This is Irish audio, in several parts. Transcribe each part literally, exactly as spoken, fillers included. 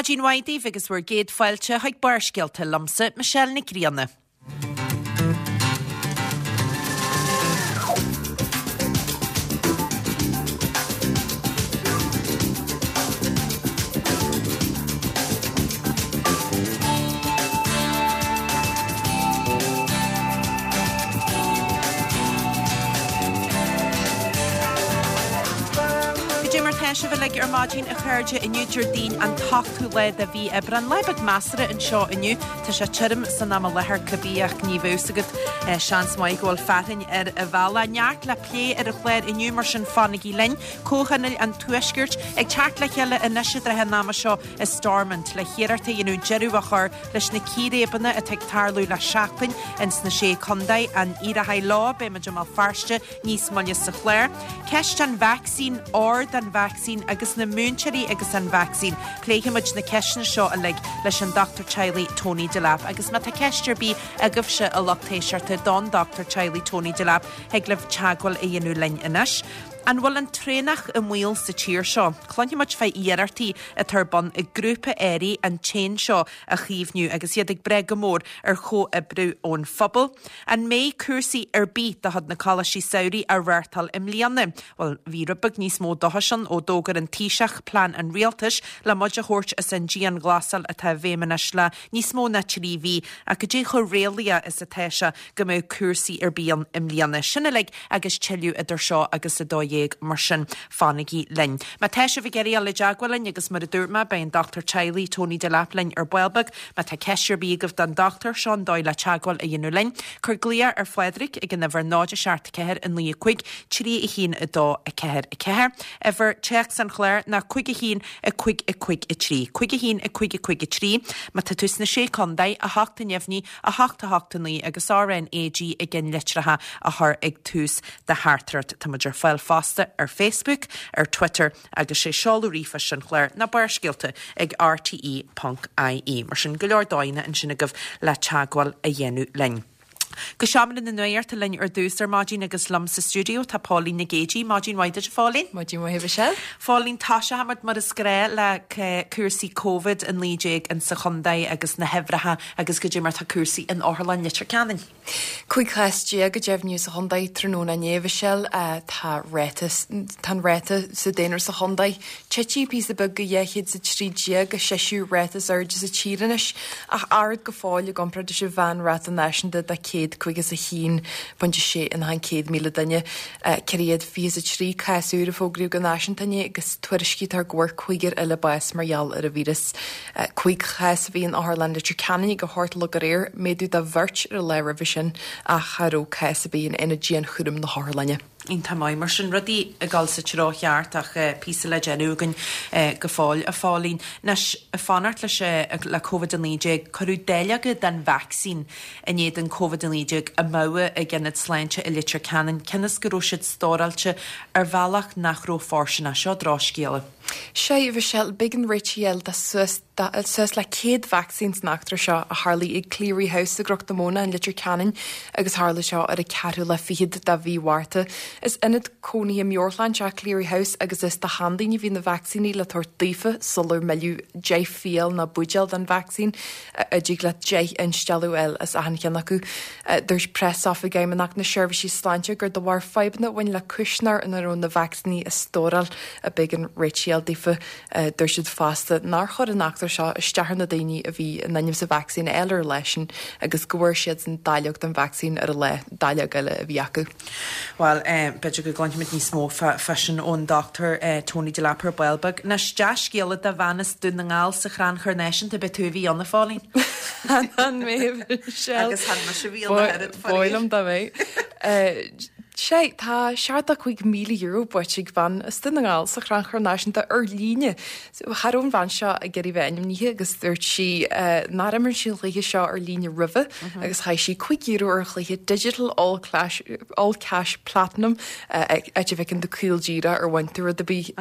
Maidin mhaith daoibh agus bhur gcéad fáilte chuig Barrscéalta liomsa, Michelle Nic Grianna. Goidé mar tá sibh uilig ar maidin a chairde inniu Déardaoin an t-ochtú lá de mhí Aibreán. Lá beag measartha anseo inniu. Tá sé tirim san am i láthair cibé ach ní bheadh fhios agat eh, seans maith go bhfuil fearthainn ar an bhealach. Neart le plé ar an chlár inniu mar sin fanaigí linn. Comhthionól an Tuaiscirt ag teacht le chéile anois i dtrátha an ama seo i Stormont le hiarracht a dhéanamh deireadh a chur leis na círéibeanna atá ag tarlú le seachtain ins na sé contae an éireoidh leo beidh muid i mBéal Feirste níos moille sa chlár. Ceist an vacsaín, ord an vacsaín agus na múinteoirí agus an vacsaín. Pléifimid na ceisteanna seo uilig leis an dochtúir teaghlaigh Tony Delap agus má tá ceist ar bith agaibhse a lucht éisteachta don dochtúir teaghlaigh Tony Delap thig libh teagmháil a dhéanamh linn anois. An bhfuil an traonach i mbaol sa tír seo? Cluinfimid fá iarrachtaí atá ar bun ag grúpa airí an t-éan seo a chaomhnú agus iad ag brath go mór ar chomhoibriú ón phobal. An mbeidh cúrsaí ar bith de chuid na Coláistí Samhraidh á reáchtáil i mbliana? Well, bhí rud beag níos mó dóchais ann ó d'fhógair an Taoiseach plean an rialtais le muid a thabhairt as an dianghlasáil atá i bhfeidhm anois le níos mó ná trí mhí ach goidé chomh réalaíoch is atá sé go mbeidh cúrsaí ar bith ann i mbliana. Sin uilig agus tuilleadh idir seo agus a dó dhéag mar sin fanaigí linn. Má tá sibh ag iarraidh dul i dteagmháil linn agus mar a dúirt mé beidh an dochtúir teaghlaigh Tony Delap linn ar ball beag, má tá ceist ar bith agaibh don dochtúir seo an dóigh le teagmháil a dhéanamh linn. Cuir glaoch ar Phádraig ag an uimhir náid a seacht ceathair a naoi a cúig trí a haon a dó a ceathair a ceathair. Uimhir téacs an chláir ná cúig a haon a cúig a cúig a trí. Cúig a haon a cúig a cúig a trí, má tá tú sna sé contae a hocht a neamhní a hocht a hocht a naoi agus RNAG i gceannlitreacha a chur ag tús do theachtaireacht. Tá muid ar fáil fosta ar Facebook, ar Twitter agus sé seoladh ríomhphoist an chláir ná barrscéalta ag rte ponc ie. Mar sin go leor dóigheanna ansin agaibh le teagmháil a dhéanamh linn. Go seomra na nuachta linn ar dtús ar maidin agus liom sa stiúideo tá Póilín Nic Géidigh, Maidin mhaith duit a Phóilín. Maidin mhaith Michelle. Phóilín tosóimid mar is gnách le cúrsaí Covid a naoi déag in sa chontae agus na huimhreacha agus goidé mar tá cúrsaí in Otharlann Leitir Ceanainn. Cúig chás déag a deimhníodh sa chontae tráthnóna inné, Michelle. Tá ráta tá an ráta sa daonra sa chontae tite píosa beag go dhá chéad is a trí déag, an seisiú ráta is airde sa tír anois, ach ard go fóill i gcomparáid leis an mheánráta náisiúnta de céad caoga is a haon pointe sé in aghaidh an céad míle duine. Ceithre chéad fiche is a trí cás úr a fógraíodh go náisiúnta inné agus tuairiscítear go bhfuair cúigear eile bás mar gheall ar an víreas. Cúig chás a bhí in Otharlann Leitir Ceanainn ag a hocht a chlog aréir, méadú de bheirt ar an lá roimhe sin ach cha raibh cás ar bith in aonad dianchúraim na hotharlainne. Iontach maith mar sin, rudaí ag dul sa treo cheart ach píosa le déanamh againn go fóill, a Phóilín. Anois, ag fanacht leis le Covid a naoi déag, cuireadh dáileoga den vacsaín in éadan Covid a naoi déag amú ag Ionad Sláinte i Leitir Ceanainn, cionn is go raibh siad stóráilte ar bhealach nach raibh fóirsteanach. Seo drochscéala. Sea, a Mhichelle, b'éigean réiteach a fháil do suas suas le céad vacsaín san eachtra seo a tharlaigh ag Cleary House i gCnoc na Móna in Leitir Ceanainn agus tharla seo ar an ceathrú lá fichead de mhí Mhárta. Is ionad cónaithe meabhairshláinte é Cleary House agus is do sheandaoine a bhí na vacsaíní le tabhairt daofa sular milleadh deich fial nó buidéal den vacsaín a dtig leat deich instealladh a fháil as achan cheann acu. Dúirt preasoifig Fheidhmeannacht na Seirbhísí Sláinte gur de bharr fadhbanna a bhain le cuisneoir ina raibh na vacsaíní á stóráil a b'éigean réiteach a fháil daofa. Dúirt siad fosta nár chuir an eachtra seo isteach ar na daoine a bhí in ainm is an vacsaín a fháil ar an lá sin agus go bhfuair siadsan dáileog den vacsaín ar an lá dáileog eile a bhí acu. Bhuel, b'fhéidir go gcluinfimid níos mó fá sin ón Dochtúir Tony Delap ar ball beag. Anois, dea-scéala do bhean as Dún na nGall sa Chrannchur Náisiúnta, b'é tú a bhí ann, a Phóilín? Chan mé, Michelle. Agus chan mise a bhí ann a oiread, faraor. Ba mhaith liom dá mbeadh. Sea, tá seachtó cúig míle euro buaite ag bean as Dún na nGall sa Chrannchur Náisiúnta ar líne. Cha raibh an bhean seo ag iarraidh bheith ainmnithe agus dúirt sí nár imir sí an chluiche seo ar líne roimhe agus chaith sí cúig euro ar an chluiche Digital All Clash, All Cash Platinum, áit a bhfeiceann tú caol díreach ar bhain tú rud ar bith.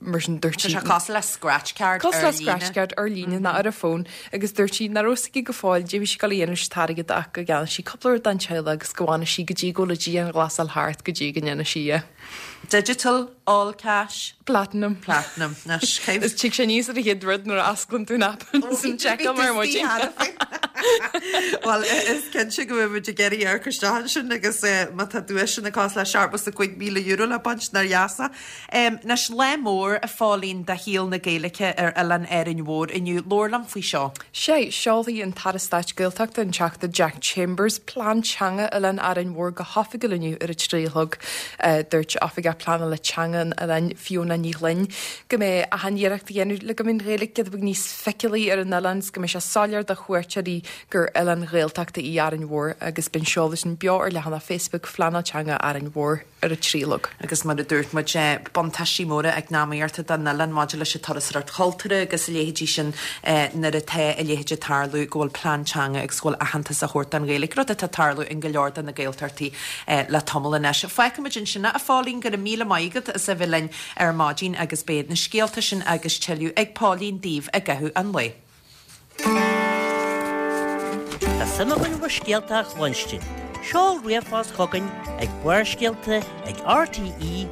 mar sin dúirt sí Tá sé cosúil le scratch card Cosúil le scratch card ar líne ná ar a fón agus dúirt sí nach raibh a fhios aici go fóill cad é a bhí sí ag dul a dhéanamh leis an t-airgead ach go gceannódh sí cúpla rud don teaghlach agus go bhfanadh sí go dtí go bhfuil an dianghlasáil thart go dtí go ndéanfaidh sí é. Digital, all cash. Platinum. Platinum. Is tig sé níos ar a chéad rud nuair a osclaíonn tú an app san check mar muid. Well is cinnte go bhfuil ag iarraidh ar isteach sin agus má tá duaiseanna cosúil le seachtó is a cúig míle euro le baint nár dheasa. Anois lá mór a Phóilín do shaol na Gaeilge ar Oileán Árainn Mhór inniu labhair liom faoi seo. Sé seolfaidh an tAire Stáit Gaeltachta an Teachta Jack Chambers plean teanga Oileán Árainn Mhór go hoifigiúil inniu ar a trí a chlog dúirt oifigeach pleanála teanga an oileáin Fiona Ní Ghlinn go mbeidh achan iarracht á dhéanamh le go mbeidh an Ghaeilge giota beag níos feiceálaí ar an oileán go mbeidh sé soiléir do chuairteoirí gur oileán Ghaeltachta í Árainn Mhór agus beidh an seoladh sin beo ar leathanach Facebook Phleanáil Teanga Árainn Mhór ar a trí a chlog. Agus mar a dúirt muid buntáistí móra eacnamaíochta don oileán maidir leis an turasóireacht chultúrtha agus a leithéidí sin nuair atá a leithéid ag tarlú go bhfuil plean teanga agus go bhfuil aitheantas á thabhairt don Ghaeilge rud atá ag tarlú in go leor de na Gaeltachtaí le tamall anois. Fágfaimid ansin a Phóilín go raibh míle maith agat as a bheith linn ar maidin agus beidh na scéalta sin agus tuilleadh ag Póilín daoibh i gcaitheamh an lae. Tá suim againn bhur scéalta a chluinstin. Seol ríomhphost chugainn ag Barrscéalta ag RTE.ie.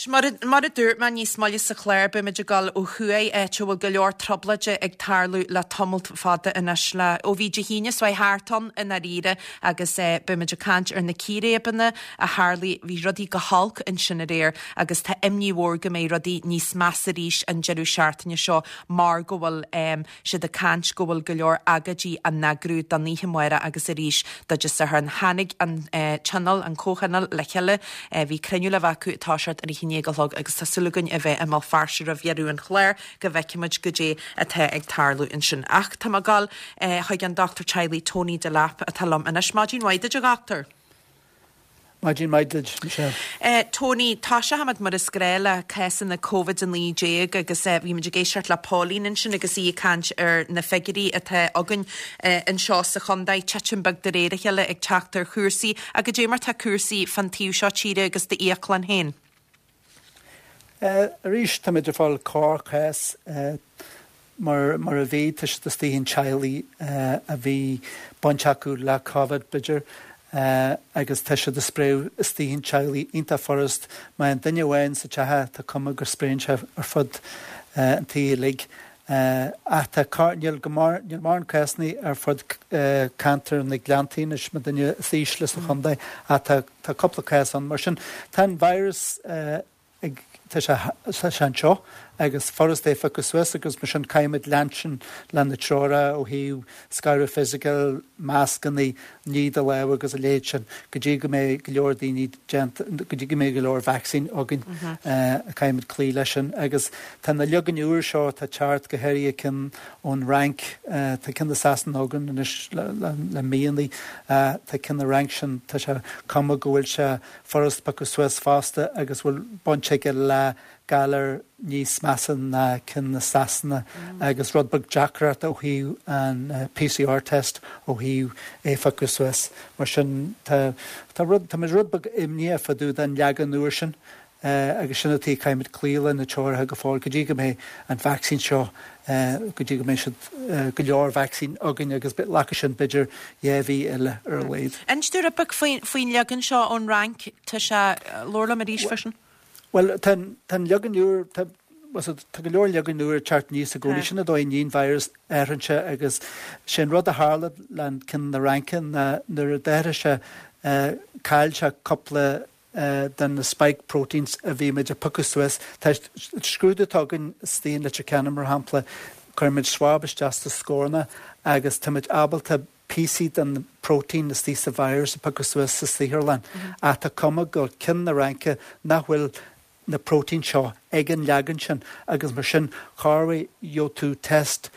Mar mar a dúirt mé níos moille sa chlár beimid ag dul ó thuaidh áit a bhfuil go leor trioblóide ag tarlú le tamall fada anois le ó bhí Dé hAoine seo thart ann i ndáiríre agus eh, beimid ag caint ar na círéibeanna a tharla bhí rudaí go holc ansin aréir agus tá imní mhór go mbeidh rudaí níos measa arís an deireadh seachtaine seo mar go bhfuil um, siad ag caint go bhfuil go leor agóidí á n-eagrú don oíche amárach agus arís do Dé Sathairn tháinig an eh, tionól an comhthionól le chéile eh, bhí cruinniú le bheith acu toiseacht ar a haon déag a chlog agus tá súil againn a bheith i mBéal Feirste roimh dheireadh an chláir go bhfeicfimid goidé atá ag tarlú ansin. Ach tá mé ag dul eh, chuig an dochtúir teaghlaigh Tony Delap atá liom anois maidin mhaith duit a dhochtúir. Maidin mhaith duit Michelle. Uh, Tony tá sé mar is gnách le cásanna COVID a naoi déag agus uh, bhí muid ag éisteacht le Pauline ansin agus í ag caint ar na figiúirí atá againn uh, anseo sa chontae titim beag de réir a chéile ag teacht ar chúrsaí agus goidé mar tá cúrsaí fan taobh seo tíre agus d'fhiaclann féin. Uh, arís tá idir fáil corrchás uh, mar, mar a bhí tá siad istigh in teaghlaigh uh, a bhí baint acu le COVID b'fhéidir. Uh, agus tá siad ag spréadh istigh in teaghlaigh iontach furast má an duine amháin sa teach tá cuma gur spréann sé ar fud uh, an tí uilig. Uh, ach tá níl go mar níl mórán cásanna ar fud uh, ceantar na Gleanntaí is mar duine is ísle sa chontae ach tá tá cúpla cás ann mar sin tá an virus uh, ag tá sé anseo agus furast é phiocadh suas agus mar sin caithfimid leanúint le na treoracha ó thaobh scaradh fisiciúil mascanna ní do lámha agus a leithéid sin go dtí go mbeidh go leor daoine go dtí go mbeidh go leor vaccine againn caithfimid cloí leis sin agus tá na leagain úr seo tá teacht go háirithe cinn ón Fhrainc tá cinn i Sasana againn anois le míonna tá cinn na Fhrainc sin tá sé cuma go bhfuil sé furast piocadh suas fosta agus bhfuil baint aige le galar níos measa ná cinn na Sasana agus rud beag deacracht ó thaobh an PCR test ó thaobh é phiocadh suas mar sin tá tá rud tá rud beag imní fá dtaobh den leagan úr sin uh, agus sin atá caithfimid cloí le na treoracha go fóill go dtí go mbeidh an vaccine seo uh, go dtí go mbeidh siad uh, go leor vaccine againn agus glacfaidh sin b'fhéidir dhá mhí eile ar a laghad. Inis dúinn rud beag faoin leagan seo ón Fhrainc tá sé labhair liom arís freisin? Well tá leagan úr tá tá go leor leagan úr teacht aníos i gcónaí sin an dóigh an virus athraíonn sé agus sin rud a tharla le cinn na Fraince na nuair a d'athraigh sé chaill sé cúpla den na spike proteins a bhí muid a phiocadh suas. Tá scrúdú againn istigh in Leitir Ceanainn mar shampla cuirimid swab isteach sa scornach agus táimid ábalta píosaí den protein istigh sa virus a phiocadh suas sa saotharlann. Ach tá cuma go cinn na Fraince nach bhfuil na protein seo ag an leagan sin agus mar sin corruair gheobhaidh tú test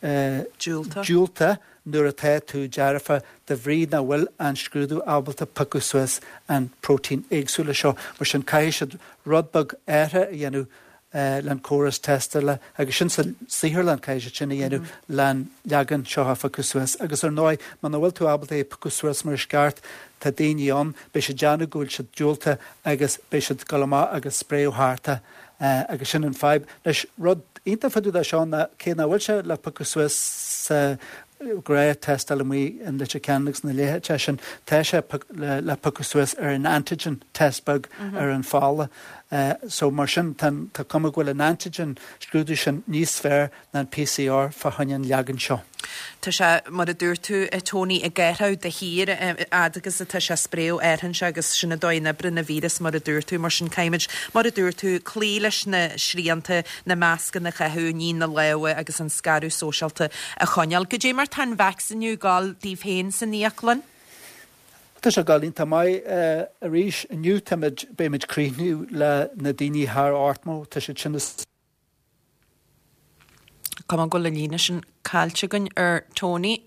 uh, diúltach nuair atá tú dearfa de bhrí nach bhfuil an scrúdú ábalta piocadh suas an protein éagsúla seo, mar sin caithfidh siad rud beag athraithe a dhéanamh len córas tástála agus sin sa saotharlann caithfidh siad sin a dhéanamh len leagan seo a phiocadh suas. Agus ar ndóigh, muna bhfuil tú ábalta é a phiocadh suas mar is ceart, tá daoine ann, beidh siad déanamh go bhfuil siad diúltach agus beidh siad ag dul amach agus spréadh thart é agus sin an fadhb. Anois, rud iontach fá dtaobh de seo ná cé nach bhfuil sé le piocadh suas sa ghnáth tástáil amuigh in Leitir Ceanainn agus na leithéid sin, tá sé le le piocadh suas ar an antigen test beag ar an pholla. So mar sin tá tá cuma go bhfuil an antigen scrúdú sin níos fearr ná an PCR fá choinne an leagan seo. Tá sé, mar a dúirt tú, a Tony, ag athrú de shíor fhad agus atá sé ag spréadh air agus sin an dóigh a n-oibríonn an víreas mar a dúirt tú, mar sin caithfimid, mar a dúirt tú, cloí leis na srianta, na mascanna a chaitheamh, ní na lámha agus an scaradh sóisialta a choinneáil. Goidé mar tá an vacsaíniú ag dul daoibh féin san íoclann? Tá sé ag dul iontach maith arís inniu táimid beimid críochnú le na daoine thar ochtó tá siad sin is Cuma go bhfuil an líne sin caillte againn ar Tony.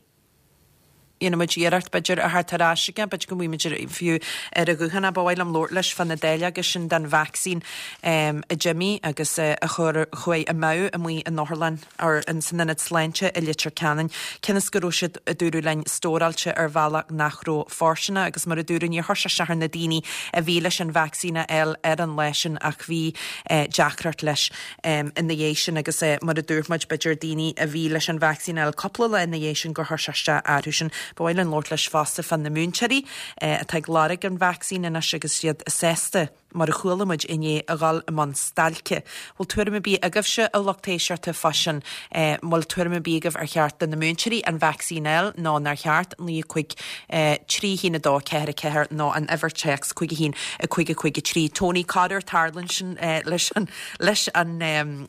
Dhéanfaimid iarracht b'fhéidir a theacht ar ais aige, b'fhéidir go bhfuimid fiú ar a ghuthán ba mhaith liom labhairt leis fá na dáileoga sin den vacsaín a d'imigh agus a chuir chuaigh amú amuigh in otharlann or in san ionad sláinte i Leitir Ceanainn. Cionn is go raibh siad a dúradh linn stóráilte ar bhealach nach raibh fóirsteanach agus mar a dúradh níor chuir sé isteach ar na daoine a bhí leis an vacsaín a fháil ar an lá sin ach bhí deacracht leis ina dhiaidh sin agus mar a dúirt muid b'fhéidir daoine a bhí leis an vacsaín a fháil cúpla lá ina dhiaidh sin gur chuir sé isteach orthu sin. Ba mhaith linn labhairt leis fosta fá na múinteoirí atá ag lorg an vacsaín anois agus iad sásta mar a chuala muid inné a dhul i mbun stailce. Bhfuil tuairim ar bith agaibhse a lucht éisteachta fá sin bhfuil tuairim ar bith agaibh ar cheart do na múinteoirí an vacsaín a fháil nó nár cheart naoi cúig trí haon a dó ceathair a ceathair nó an uimhir téacs cúig a haon a cúig a cúig a trí. Tony corruair tarlaíonn sin leis an leis an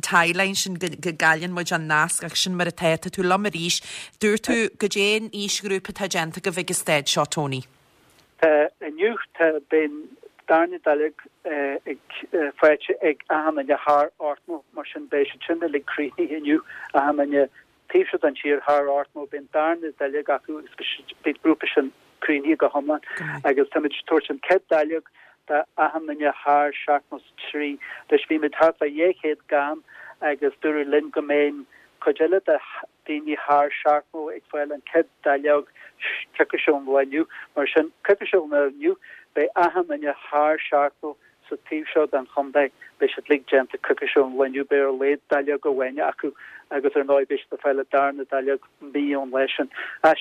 timeline sin go gcailleann muid an nasc ach sin mar atá tá tú liom arís. Dúirt tú goidé an aoisghrúpa atá déanta agaibh ag an staid seo Tony. Tá inniu tá beidh an darna dáileog ag faighte ag achan duine thar ochtó mar sin beidh siad sin uilig críochnaithe inniu achan duine taobh seo den tír thar ochtó beidh an darna dáileog acu agus beidh grúpa sin críochnaithe go hiomlán agus táimid ag tabhairt an chéad dáileog do achan duine thar seachtó is trí. Leis bhí muid thart fá dhá chéad gann agus dúradh linn go mbeidh cuid eile de daoine thar seachtó ag fáil an chéad dáileog coicís ón lá inniu. Mar sin coicís ón lá inniu beidh achan duine thar seachtó sa taobh seo den chontae beidh siad uilig déanta coicís ón lá inniu beidh ar a laghad dáileog amháin acu agus ar ndóigh beidh siad ag fáil an darna dáileog mí ón lá sin.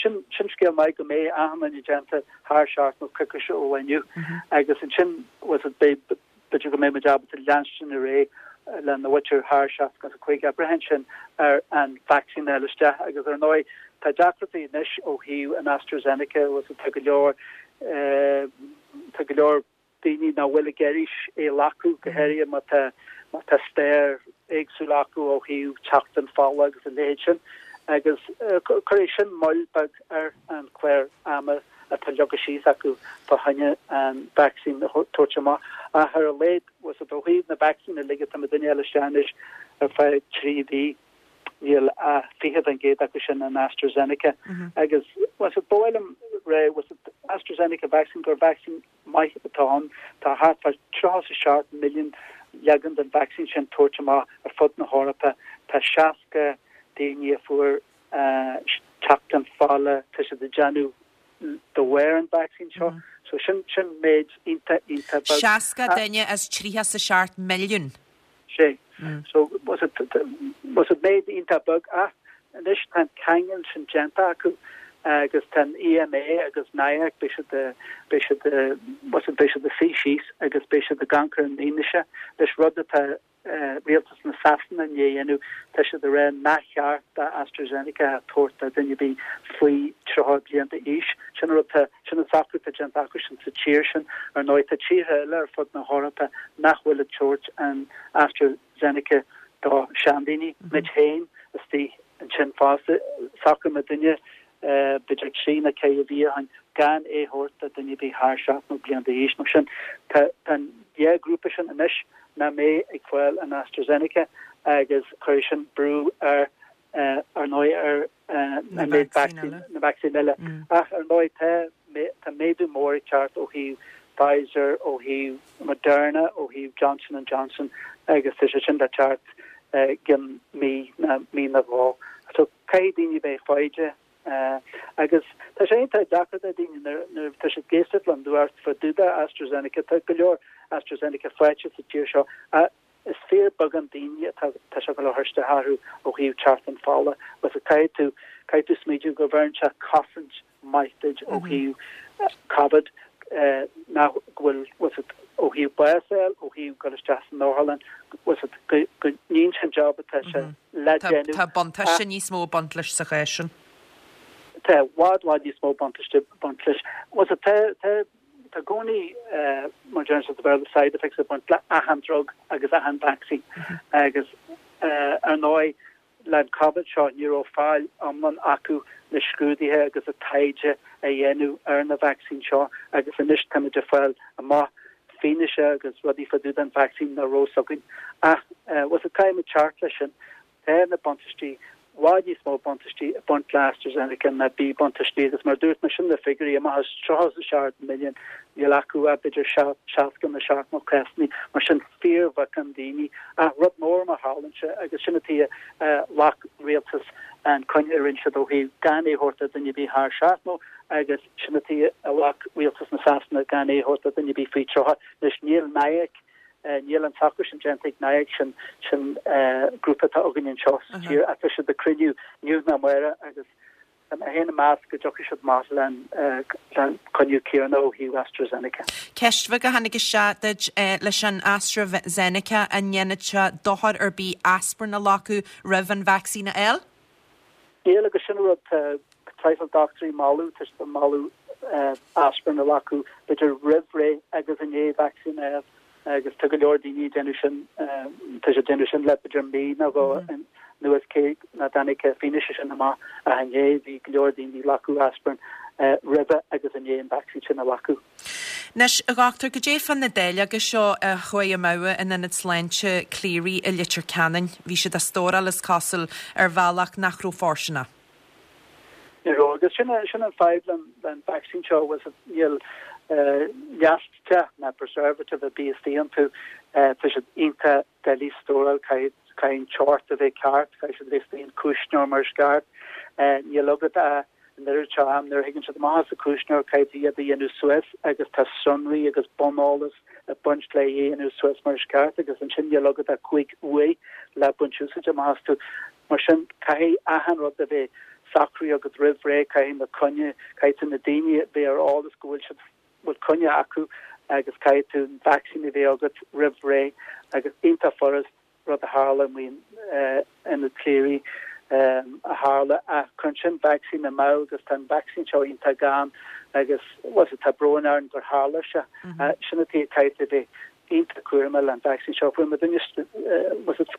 Sin sin scéal maith go mbeidh achan duine déanta thar seachtó coicís ó lá inniu agus ansin was it beidh b'fhéidir go mbeidh muid ábalta leanstan ar aghaidh le na mhuintir thar seasca is a cúig braitheann sin ar an vacsaín a fháil isteach agus ar ndóigh tá deacrachtaí anois ó thaobh an AstraZeneca was it tá go leor tá go leor daoine nach bhfuil ag iarraidh é a ghlacadh go háirithe má tá má tá stair éagsúil acu ó thaobh teacht an fola agus a leithéid sin agus cuirfidh sin moill beag ar an chlár ama atá leagtha síos acu fá choinne an vacsaín a thabhairt amach. Ach ar a laghad was it ó thaobh na vacsaíne uilig atá muid ag fáil isteach anois ar feadh trí mhí níl a fiche faoin gcéad acu sin an AstraZeneca agus was it ba mhaith liom rá was it AstraZeneca vaccine gur vaccine maith atá ann tá thart fá tríocha is seacht milliún leagan den vaccine sin tabhairt amach ar fud na hEorpa tá seasca daoine a fuair teacht an fola tá siad ag déanamh de bharr an vaccine seo so sin sin méid iontach iontach beag. Seasca duine as tríocha is a seacht milliún. Sé. So was it was it méid iontach beag ach anois tá an ceangal sin déanta acu agus tá EMA agus NIAC beidh siad beidh siad was it beidh siad ag suí síos agus beidh siad ag amharc ar an fhianaise leis rud atá rialtas na Sasana i ndiaidh a dhéanamh tá siad ag rá nach ceart do AstraZeneca a thabhairt do dhuine ar bith faoi tríocha bliain d'aois sin rud sin an socrú atá déanta acu sin sa tír sin ar ndóigh tá tíortha eile ar fud na hEorpa nach bhfuil ag tabhairt an AstraZeneca do seandaoine muid féin istigh ansin fosta socraigh muidinne b'fhéidir trí nó ceithre mhí ó shin gan é a thabhairt do dhuine ar bith thar seachtó bliain d'aois mar sin tá an dhá grúpa sin anois nach mbeidh ag fáil an AstraZeneca agus chuir sin brú ar ar ndóigh ar an méid na vacsaín eile ach ar ndóigh tá tá méadú mór ag teacht ó thaobh Pfizer ó thaobh Moderna ó thaobh Johnson and Johnson agus tá sé sin le teacht i gcionn mí nó mí nó dhó. So caithfidh daoine bheith foighdeach agus tá sé iontach deacair do daoine nuair tá siad ag éisteacht leis an nuacht fá dtaobh de AstraZeneca, tá go leor AstraZeneca faighte sa tír seo ach is fíorbheagán daoine atá tá sé ag dul a chur isteach orthu ó thaobh teacht an fola agus caithfidh tú caithfidh tú smaoitiú go bhfeireann sé cosaint maith duit ó thaobh Covid nach go bhfuil ó thaobh bás a fháil, ó thaobh dul isteach san otharlann, go ndéanann sé an job atá sé le déanamh. Tá buntáiste níos mó ag baint leis sa chás sin. Tá i bhfad bhfad níos mó buntáiste ag baint leis. Tá tá tá i gcónaí mar deireann siad sa Bhéarla side effects ag baint le achan drug agus achan vaccine agus ar ndóigh le an Covid seo ní raibh fáil iomlán acu na scrúduithe agus an taighde a dhéanamh ar na vacsaín seo agus anois táimid ag fáil amach fianaise agus rudaí fá dtaobh den vacsaín nach raibh fhios againn. Ach bhuel caithfimid teacht leis sin, tá na buntáistí i bhfad níos mó buntáistí ag baint le AstraZeneca ná míbhuntáistí agus mar a dúirt mé sin na figiúirí amach as tríocha is a seacht milliún níl acu ach b'fhéidir seasca nó seachtó cásanna mar sin fíorbheagán daoine ach rud mór má tharlaíonn sé agus sin an tuige a ghlac an rialtas an cinneadh a rinne siad ó thaobh gan é a thabhairt do dhuine ar bith thar seachtó agus sin an tuige a ghlac rialtas na Sasana gan é a thabhairt do dhuine ar bith faoi tríocha anois níl NIAC níl an socrú sin déanta ag NIAC sin sin grúpa atá againn anseo sa tír ach tá siad ag cruinniú inniu nó amárach agus tá mé féin ag meas go dtiocfaidh siad amach le an cinneadh céanna ó thaobh AstraZeneca. Ceist bheag a tháinig isteach duit leis an AstraZeneca an ndéanann sé dochar ar bith aspirin a ghlacadh roimh an vacsaín a fháil? Níl agus sin rud traidhfil dochtúirí ag moladh tá siad ag moladh aspirin a ghlacadh b'fhéidir roimh ré agus i ndiaidh vacsaín a fháil. agus tá go leor daoine ag déanamh sin, tá siad ag déanamh sin le b'fhéidir mí nó dhó anuas cé nach dtáinig an fianaise sin amach ach inné bhí go leor daoine ag glacadh aspirin roimhe agus i ndiaidh an vacsaín sin a ghlacadh. Anois, a dhochtúir, goidé fá na dáileoga seo a chuaigh amú in Ionad Sláinte Cleary i Leitir Ceanainn? Bhí siad á stóráil, is cosúil, ar bhealach nach raibh fóirsteanach. Ní raibh, agus sin sin an fadhb le an vacsaín seo, bhfuil níl leachtach ná preservative ar bith istigh iontu, tá siad iontach doiligh a stóráil, caithfidh an teocht a bheith ceart, caithfidh siad a bheith istigh in cuisneoir mar is ceart, níl agat ach an oiread seo am nuair a thagann siad amach as an cuisneoir caithfidh tú iad a dhéanamh suas agus tá sonraí agus buneolas ag baint le é a dhéanamh suas mar is ceart agus ansin níl agat ach cúig uair le baint úsáid amach astu. Mar sin caithfidh achan rud a bheith socraithe agat roimh ré, caithfidh na coinne, caithfidh tú na daoine a bheith ar eolas go bhfuil siad, bhfuil coinne acu agus caithfidh tú an vacsaín a bheith agat roimh ré agus iontach furast rud a tharla amuigh in Ionad Cleary a tharla ach cuireann sin vacsaín amú agus tá an vacsaín seo iontach gann agus bhuel tá brón orainn gur tharla sé. Sin an tuige caithfidh tú a bheith iontach cúramach leis an vacsaín seo. Fuair muid duine,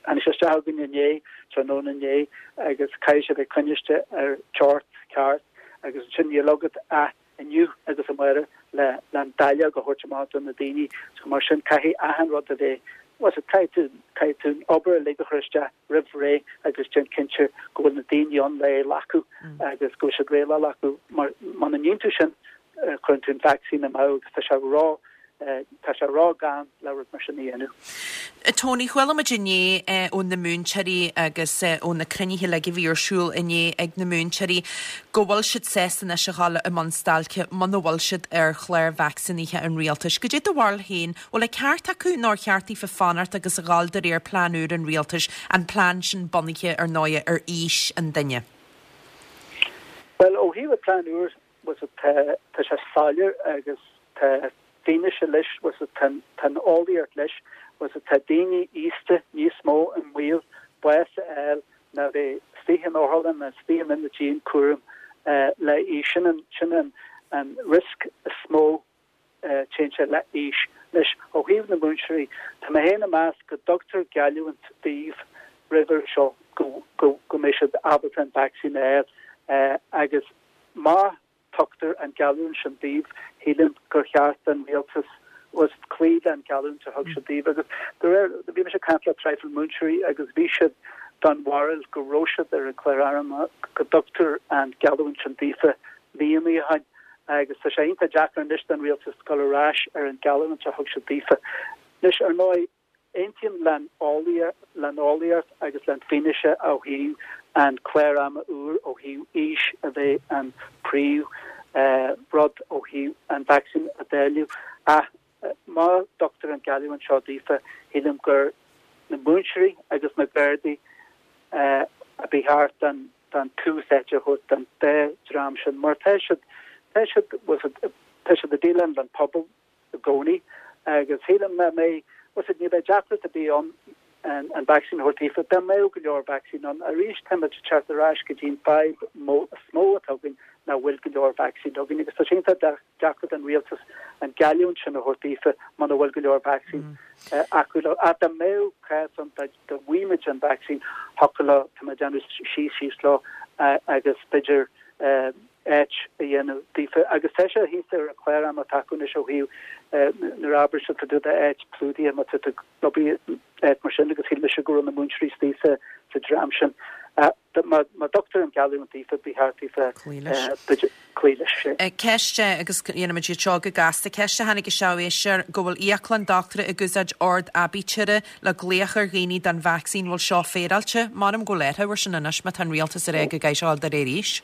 tháinig sé isteach chugainn inné, tráthnóna inné, agus caithfidh sé bheith coinniste ar teocht ceart agus ansin níl agat ach inniu agus amárach le le an dáileog a thabhairt amach do na daoine. So mar sin caithfidh achan rud a bheith, bhuel caithfidh tú, caithfidh tú an obair uilig a chur isteach roimh ré agus déan cinnte go bhfuil na daoine ann le é a ghlacadh agus go bhfuil siad réidh le glacadh mar muna ndéanann tú sin cuireann tú an vacsaín amú agus tá sé ró tá sé ró-ghann le rud mar sin a dhéanamh. Tony, chuala muid inné ó na múinteoirí agus ó na cruinnithe uilig a bhí ar siúl inné ag na múinteoirí go bhfuil siad sásta anois a dhul i mbun stailce muna bhfuil siad ar chlár vacsaínithe an rialtais. Goidé do bharúil féin, bhfuil an ceart acu nó ar cheart daofa fanacht agus a dhul de réir plean úr an rialtais, an plean sin bunaithe ar ndóigh ar aois an duine? Bhuel, ó thaobh an plean úr, tá tá sé soiléir agus tá fianaise leis, tá an eolaíocht leis, tá daoine aosta níos mó i mbaol bás a fháil ná bheith istigh in otharlann nó istigh in ionad dianchúraim le aois. Sin an sin an an risk is mó téann sé le aois. Anois, ó thaobh na múinteoirí, tá mé féin ag meas go dtugtar geallúint daoibh roimhe seo go go go mbeidh siad ábalta an vacsaín a fháil agus má tugtar an geallúint sin daoibh, shílim gur cheart don rialtas cloí leis an geallúint a thug siad daoibh. Agus de réir, bhí mise ag caint le traidhfil múinteoirí agus bhí siad den bharúil go raibh siad ar an chlár arm go dtugtar an geallúint sin daofa míonna ó shin agus tá sé iontach deacair anois don rialtas dul ar ais ar an geallúint a thug siad daofa. Anois, ar ndóigh, Aontaím leis an eolaíocht agus leis an fianaise ó thaobh an clár ama úr ó thaobh aois a bheith an príomh rud ó thaobh an vacsaín a dháileadh ach má tugtar an geallúint seo daofa shílim gur na múinteoirí agus na Gardaí a ba cheart an an tús áite a thabhairt don dá dream sin mar tá siad tá siad tá siad ag déileáil leis an pobal i gcónaí agus shílim mé mé was ní bheidh deacracht ar bith ann an an vacsaín a thabhairt daofa dá mbeadh go leor vacsaín ann arís táimid ag teacht ar ais go dtí an fadhb is mó atá againn nach bhfuil go leor vacsaín againn agus tá sé iontach deacair don rialtas an geallúint sin a thabhairt daofa muna bhfuil go leor vacsaín acu leo. Ach dá mbeadh cás ann dá bhfaigheadh an vacsaín thiocfadh leo tá mé ag déanamh síos síos leo agus b'fhéidir áit a dhéanamh daofa agus tá sé thíos ar an chlár ama atá acu anois ó thaobh nuair a abair siad tá d'áit clúdaithe má tá tú ag áit mar sin agus shíl mise go raibh na múinteoirí istigh sa sa dream sin. Má má tugtar an geallúint daofa ba cheart daofa cloí leis. Ceist agus dhéanfaimid iad seo go gasta. Ceist a tháinig isteach ó éisteoir go bhfuil íoclann dochtúra ag úsáid ord aibítire le glaoch ar dhaoine don vacsaín bhfuil seo féaráilte? M'anam go bhfuil air sin anois má tá an rialtas ag rá go gcaithfidh sé de réir aois.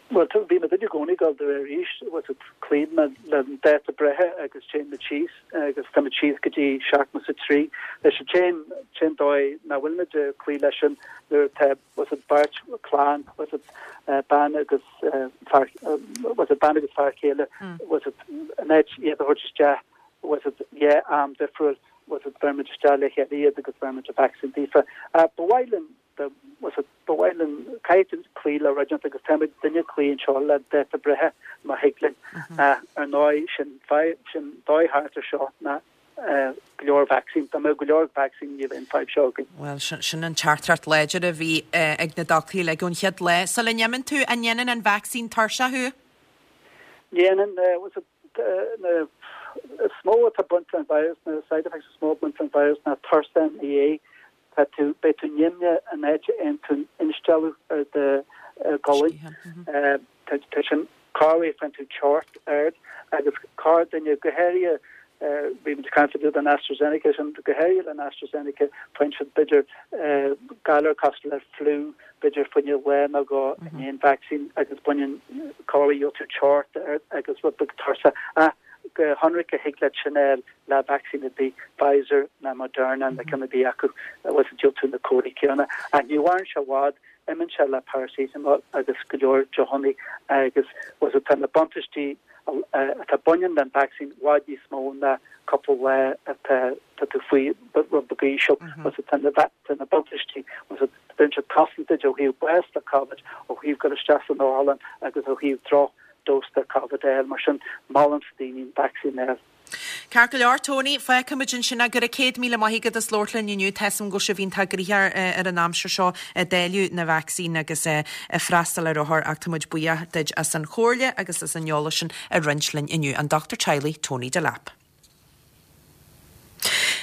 Well bhí muid i gcónaí ag dul de réir aois was it cloíonn le an dáta breithe agus téann muid síos agus tá muid síos go dtí seachtó a trí leis an téan téan dóigh nach bhfuil muid ag cloí leis sin nuair atá was it beirt clann was it uh, bean agus uh, fear uh, was it bean agus fear céile mm. was it an áit iad a thabhairt isteach was it yeah am difriúil was it bheir muid isteach le chéile iad agus bheir muid an vaccine daofa uh, ba mhaith linn was it ba mhaith linn caithfidh cloí le rud agus táimid duine cloí anseo le dáta breithe má thig linn ar ndóigh sin sin dóigh thart ar seo ná go leor vaccine Tá go leor vaccine ní bheidh an fadhb seo againn. Well sin an teachtaireacht láidir a bhí ag na dochtúirí le ón chéad lá. Sula n-imíonn tú an ndéanann an vaccine tuirseach thú? Dhéanann was it na is mó atá baint an virus na side effects is mó baint an virus ná tuirse ina dhiaidh tá tú beidh tú nimhneach an áit a bhfaigheann tú instealladh ar do ghualainn tá sin corruair faigheann tú teocht ard agus corrdhuine go háirithe bhí muid ag caint den AstraZeneca sin go háirithe le AstraZeneca faigheann siad b'fhéidir galar cosúil le flu b'fhéidir faoi lá nó dhó i ndiaidh an vaccine agus baineann corruair tú teocht ard agus rud beag tuirse a go hionraic a thig leat sin le vaccine ar bith Pfizer na Moderna na ceann ar bith acu was diúltú na comharthaí céanna a ní mhaireann sé i bhfad imíonn sé le paracetamol agus go leor deochanna agus was tá na buntáistí atá baineann den vaccine i bhfad níos mó ná cúpla lá atá tá tú faoi rud beag íseal was tá na tá na buntáistí was bíonn sé cosanta ó thaobh bás le COVID ó thaobh go isteach san otharlann agus ó thaobh droch dós de COVID eile mar sin molaim daoine an vaccine eile. Ceart go leor Tony fágfaimid ansin é go raibh céad míle maith agat as labhairt linn inniu tá a fhios agam go bhfuil sibh iontach gnoitheach ar an aimsir seo ag dáileadh na vacsaín agus ag freastal ar othair ach tá muid buíoch duit as an chomhairle agus as an eolas sin a roinnt linn inniu an Dochtúir Teaghlaigh Tony Delap.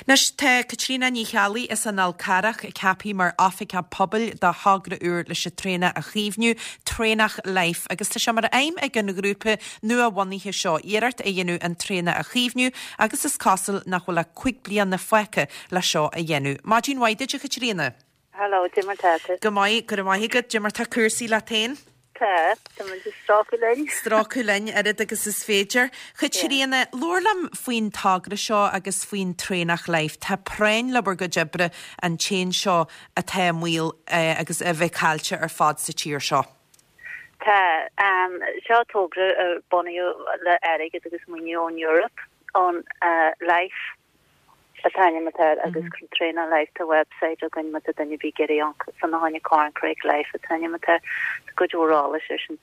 Anois tá Caitríona Ní Cheallaigh as an Fhál Carrach ceaptha mar oifigeach pobail do thogra úr leis an traonach a chaomhnú Traonach Life agus tá sé mar aidhm ag an ghrúpa nua-bhunaithe seo iarracht a dhéanamh an traonach a chaomhnú agus is cosúil nach bhfuil ach cúig bliana fágtha le seo a dhéanamh. Maidin mhaith duit a Chaitríona. Hello, Cad é mar tá tú. Go maith go maith agat cad é mar tá cúrsaí leat féin. Tá tá strácu linn. Strácu linn oiread agus is féidir. Chaitríona labhair liom faoin togra seo agus faoin Traonach Life. Tá práinn le bhur gcuid oibre an t-éan seo atá i mbaol eh, agus a bheith caillte ar fad sa tír seo. Tá um, seo togra a bunaíodh le airgead agus maoiniú ón Europe ón uh, Life an t-ainm atá agus mm -hmm. Traonach Life tá website againn má tá duine ag iarraidh san háine Corncrake Life an t-ainm atá go dórála sé sin.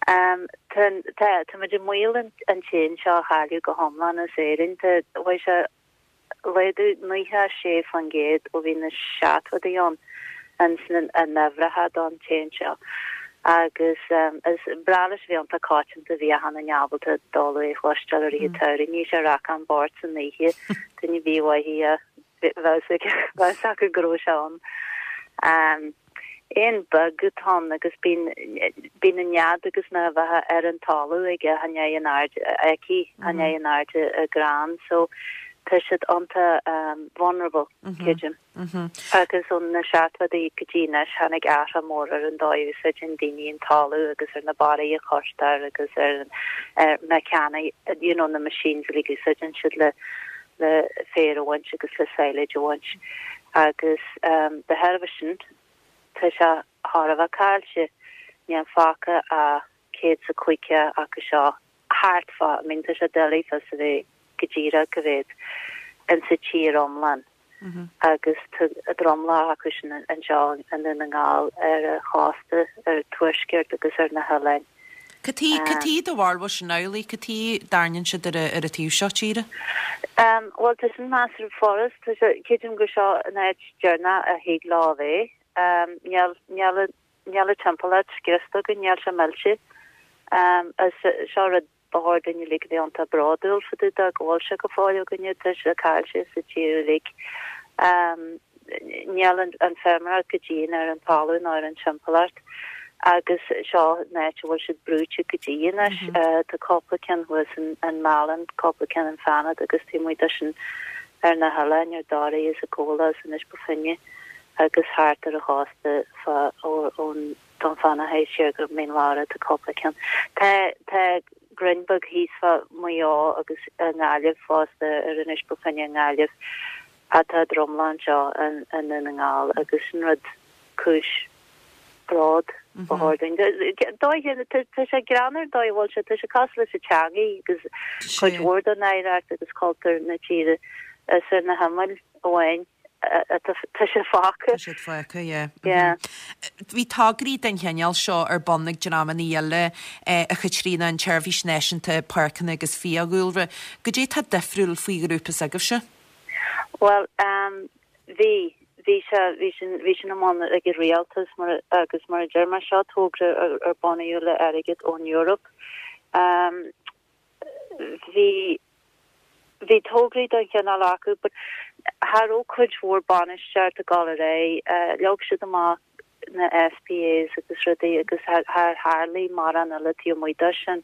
Um, tá tá muid i mbaol an an t-éan seo a chailleadh go hiomlán as Éirinn tá bhí sé laghdú nócha sé faoin gcéad ó bhí na seachtóidí ann an an uimhreacha don t-éan seo. agus um, is breá leis bhí iontach coitianta bhí hana ábalta dul é chloisteáil ar oíche samhraidh ní sé rac an bord san oíche duine bhí bheith acu go raibh sé ann. Um, Éan beag atá ann agus bíonn bíonn an nead agus na bheithe ar an talamh aige hanné an aird aici hanné an airde a gran so Tá siad iontach vulnerable, creidim. Agus ó na seachtóidí go dtí anois tháinig athrú mór ar an dóigh a úsáideann daoine an talamh agus ar na barraí a chuirtear agus ar ar na you know, na machines uilig a úsáideann siad le le féar a bhaint agus le silage a bhaint. Agus um, de thairbhe sin tá sé thar a bheith caillte níl fágtha ach céad is a caoga acu seo thart fá, I mean, tá sé doiligh fios a bheith go díreach cá mhéad in sa tír iomlán. Agus a dromlach acu sin anseo i nDún na nGall ar a chósta ar tuaisceart agus ar na hoileáin. Cad chuige do bharúil sin amhlaidh, cad chuige dtarlaíonn siad ar ar an taobh seo tíre? Um, well tá sin measartha furast creidim gur seo an áit deireanach a thig leo a bheith. Um, níl níl níl timpeallacht scriosta go níl sé millte. Um, seo rud ba chóir dúinn uilig bheith iontach bródúil fá dtaobh de go bhfuil sé go fóill againne tá sé caillte sa tír uilig. Um, níl an, an feirmeoireacht go dian ar an talamh ná ar an timpeallacht agus seo an áit a bhfuil siad brúite go dtí anois mm -hmm. uh, tá cúpla ceann thuas in, in Málainn, cúpla ceann in Fanad agus tá muid sin ar na hoileáin ar Dhoraí is Acóla is Inis Bó Finne agus thart ar a chósta ón Dún Fionnachaidh siar go Mín Lárach tá cúpla ceann. Tá tá roinnt beag thíos fá Maigh Eo agus i nGaillimh fosta ar Inis Bó Finne i nGaillimh atá dromlán seo in in na nGall agus sin rud cúis bróid ba chóir dúinn. Tá sé greannmhar dóigh a bhfuil sé tá sé cosúil leis an teanga agus cuid mhór den oidhreacht agus cultúr na tíre is ar na himill amháin tá sé fágtha. Tá siad fágtha, yeah. Yeah. Bhí tograí den chineál seo ar bun ag dreamanna eile a Chaitríona an tSeirbhís Náisiúnta Páirceanna agus Fiadhúlra. Goidé tá difriúil faoi ghrúpa s'agaibhse? Well, um, bhí bhí sé bhí sin bhí sin amháin ag an rialtas mar agus mar a deir mé seo togra ar, ar bunaíodh le airgead ón Europe. Um, bhí bhí tograí den chineál acu, but cha raibh cuid mhór bainistíocht ag dul ar aghaidh, uh, leag siad amach na SPAs agus rudaí agus char tharla mórán eile taobh amuigh de sin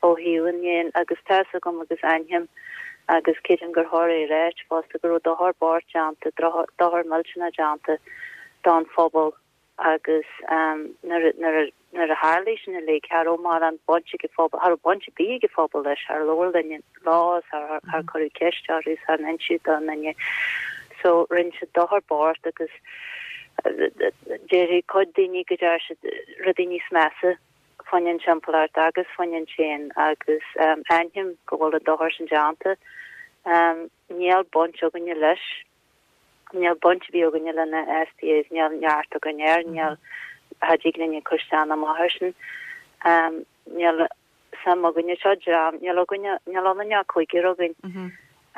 ó thaobh an dhéin agus tá a fhios agam agus aithním agus creidim gur chóir é a ráit fosta go raibh dochar bocht déanta dochar millteanach déanta don phobal agus um, nuair nuair nuair a tharla sin uilig cha raibh mórán baint ag an phobal cha raibh baint ar bith ag an phobal leis char labhair duine leo char char cuireadh ceist orthu char inseadh don duine so rinne siad dochar bocht agus deir cuid daoine go deir siad rudaí níos measa faoin timpeallacht agus faoin éan agus um, aithním go bhfuil an dochar sin déanta. Um, níl baint againne leis níl baint ar bith againne le na SPAs níl neart againn air níl cha dtig linne cur isteach amach air sin. Um, níl suim againne seo dream níl againne níl ionainn ach cúigear againn.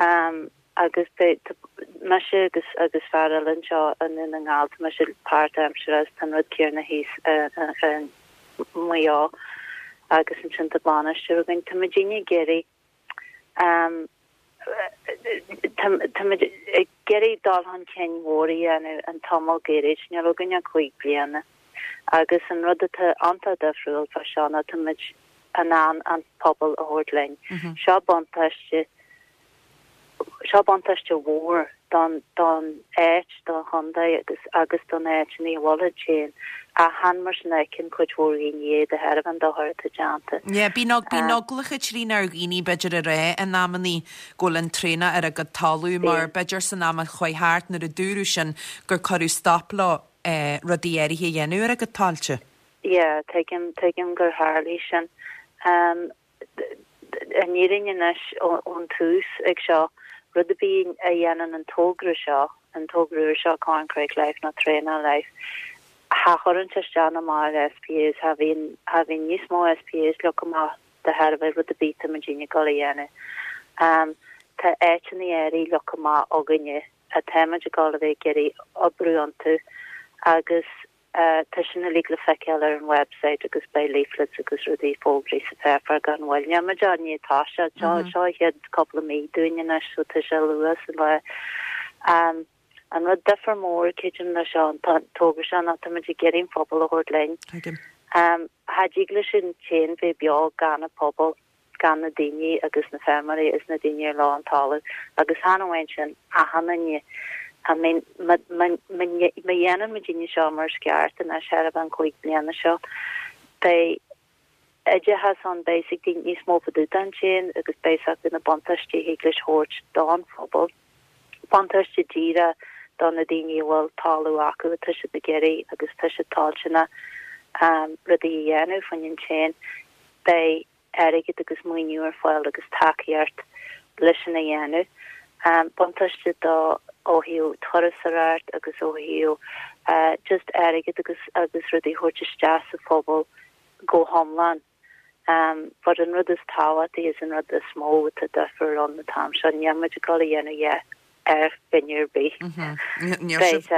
Um, agus mise agus agus fear eile anseo i nDún na nGall mise páirtaimseartha is an rud céanna thíos Maigh Eo agus ansin tá bainisteoir againn tá muidinne ag iarraidh um, tá muid ag iarraidh dul chun cinn mhór a dhéanamh an tamall gairid níl againn ach cúig bliana agus an rud atá an-difriúil fá seo ná tá muid in ann an pobal a thabhairt linn. Seo buntáiste seo buntáiste mhór don don áit don chontae agus agus don áit ní bhfuil féin a han mar sin cin cuid mhór daoine de thairbhe an dochar atá déanta. Yeah, bíonn bíonn eagla Chaitríona ar dhaoine b'fhéidir a rá in amannaí go bhfuil an traonach ar a gcuid talamh mar b'fhéidir san am a chuaigh thart nuair a dúradh sin gur cuireadh stop leo eh, rudaí áirithe a dhéanamh ar a gcuid tailte. Yeah, tuigim tuigim gur tharla sin. Um, an fhírinne anois ón tús ag seo rud a bí a dhéanann an togra seo an togra seo Corncrake Life nó Traonach Life. Cha chuireann isteach amach SPAs cha bhíonn cha bhíonn níos mó SPAs leagtha amach de thairbhe rud a bhí muidinne ag dul a dhéanamh. Um, tá áiteanna áirithe leagtha amach againne atáimid ag dul a bheith ag iarraidh oibriú iontu agus uh, tá sin uilig le feiceáil ar an website agus beidh leaflets agus rudaí fógraí sa pháipéar gan mhoill. Níl muid ní tá sé seo seo chéad cúpla mí dúinn anois so tá sé luath sa lá. Um, an rud difear mór creidim le seo an togra seo ná tá muid ag iarraidh an pobal a thabhairt linn. Tuigim. Um, Cha dtig leis an t-éan bheith beo gan an pobal gan na daoine agus na feirmeoirí is na daoine ar leo an talamh agus chan amháin sin achan duine I mean má dhéanann muidinne seo mar is ceart anois thar an cúig bliana seo beidh oideachas ann beidh ag daoine níos mó fá dtaobh den tséan agus beidh a fhios acu na buntáistí a thig leis thabhairt don phobal buntáiste díreach do na daoine a bhfuil talamh acu atá siad ag iarraidh agus tá siad toilteanach rudaí a dhéanamh faoin an tséan beidh airgead agus maoiniú ar fáil agus tacaíocht leis sin a dhéanamh. Buntáiste do ó thaobh turasóireacht agus ó thaobh just airgead agus agus rudaí a thabhairt isteach sa phobal go hiomlán. But an rud is tábhachtaí is an rud is mó atá difear ann an t-am seo, níl muid ag dul a dhéanamh a dhath ar dhuine ar bith. Níl sibh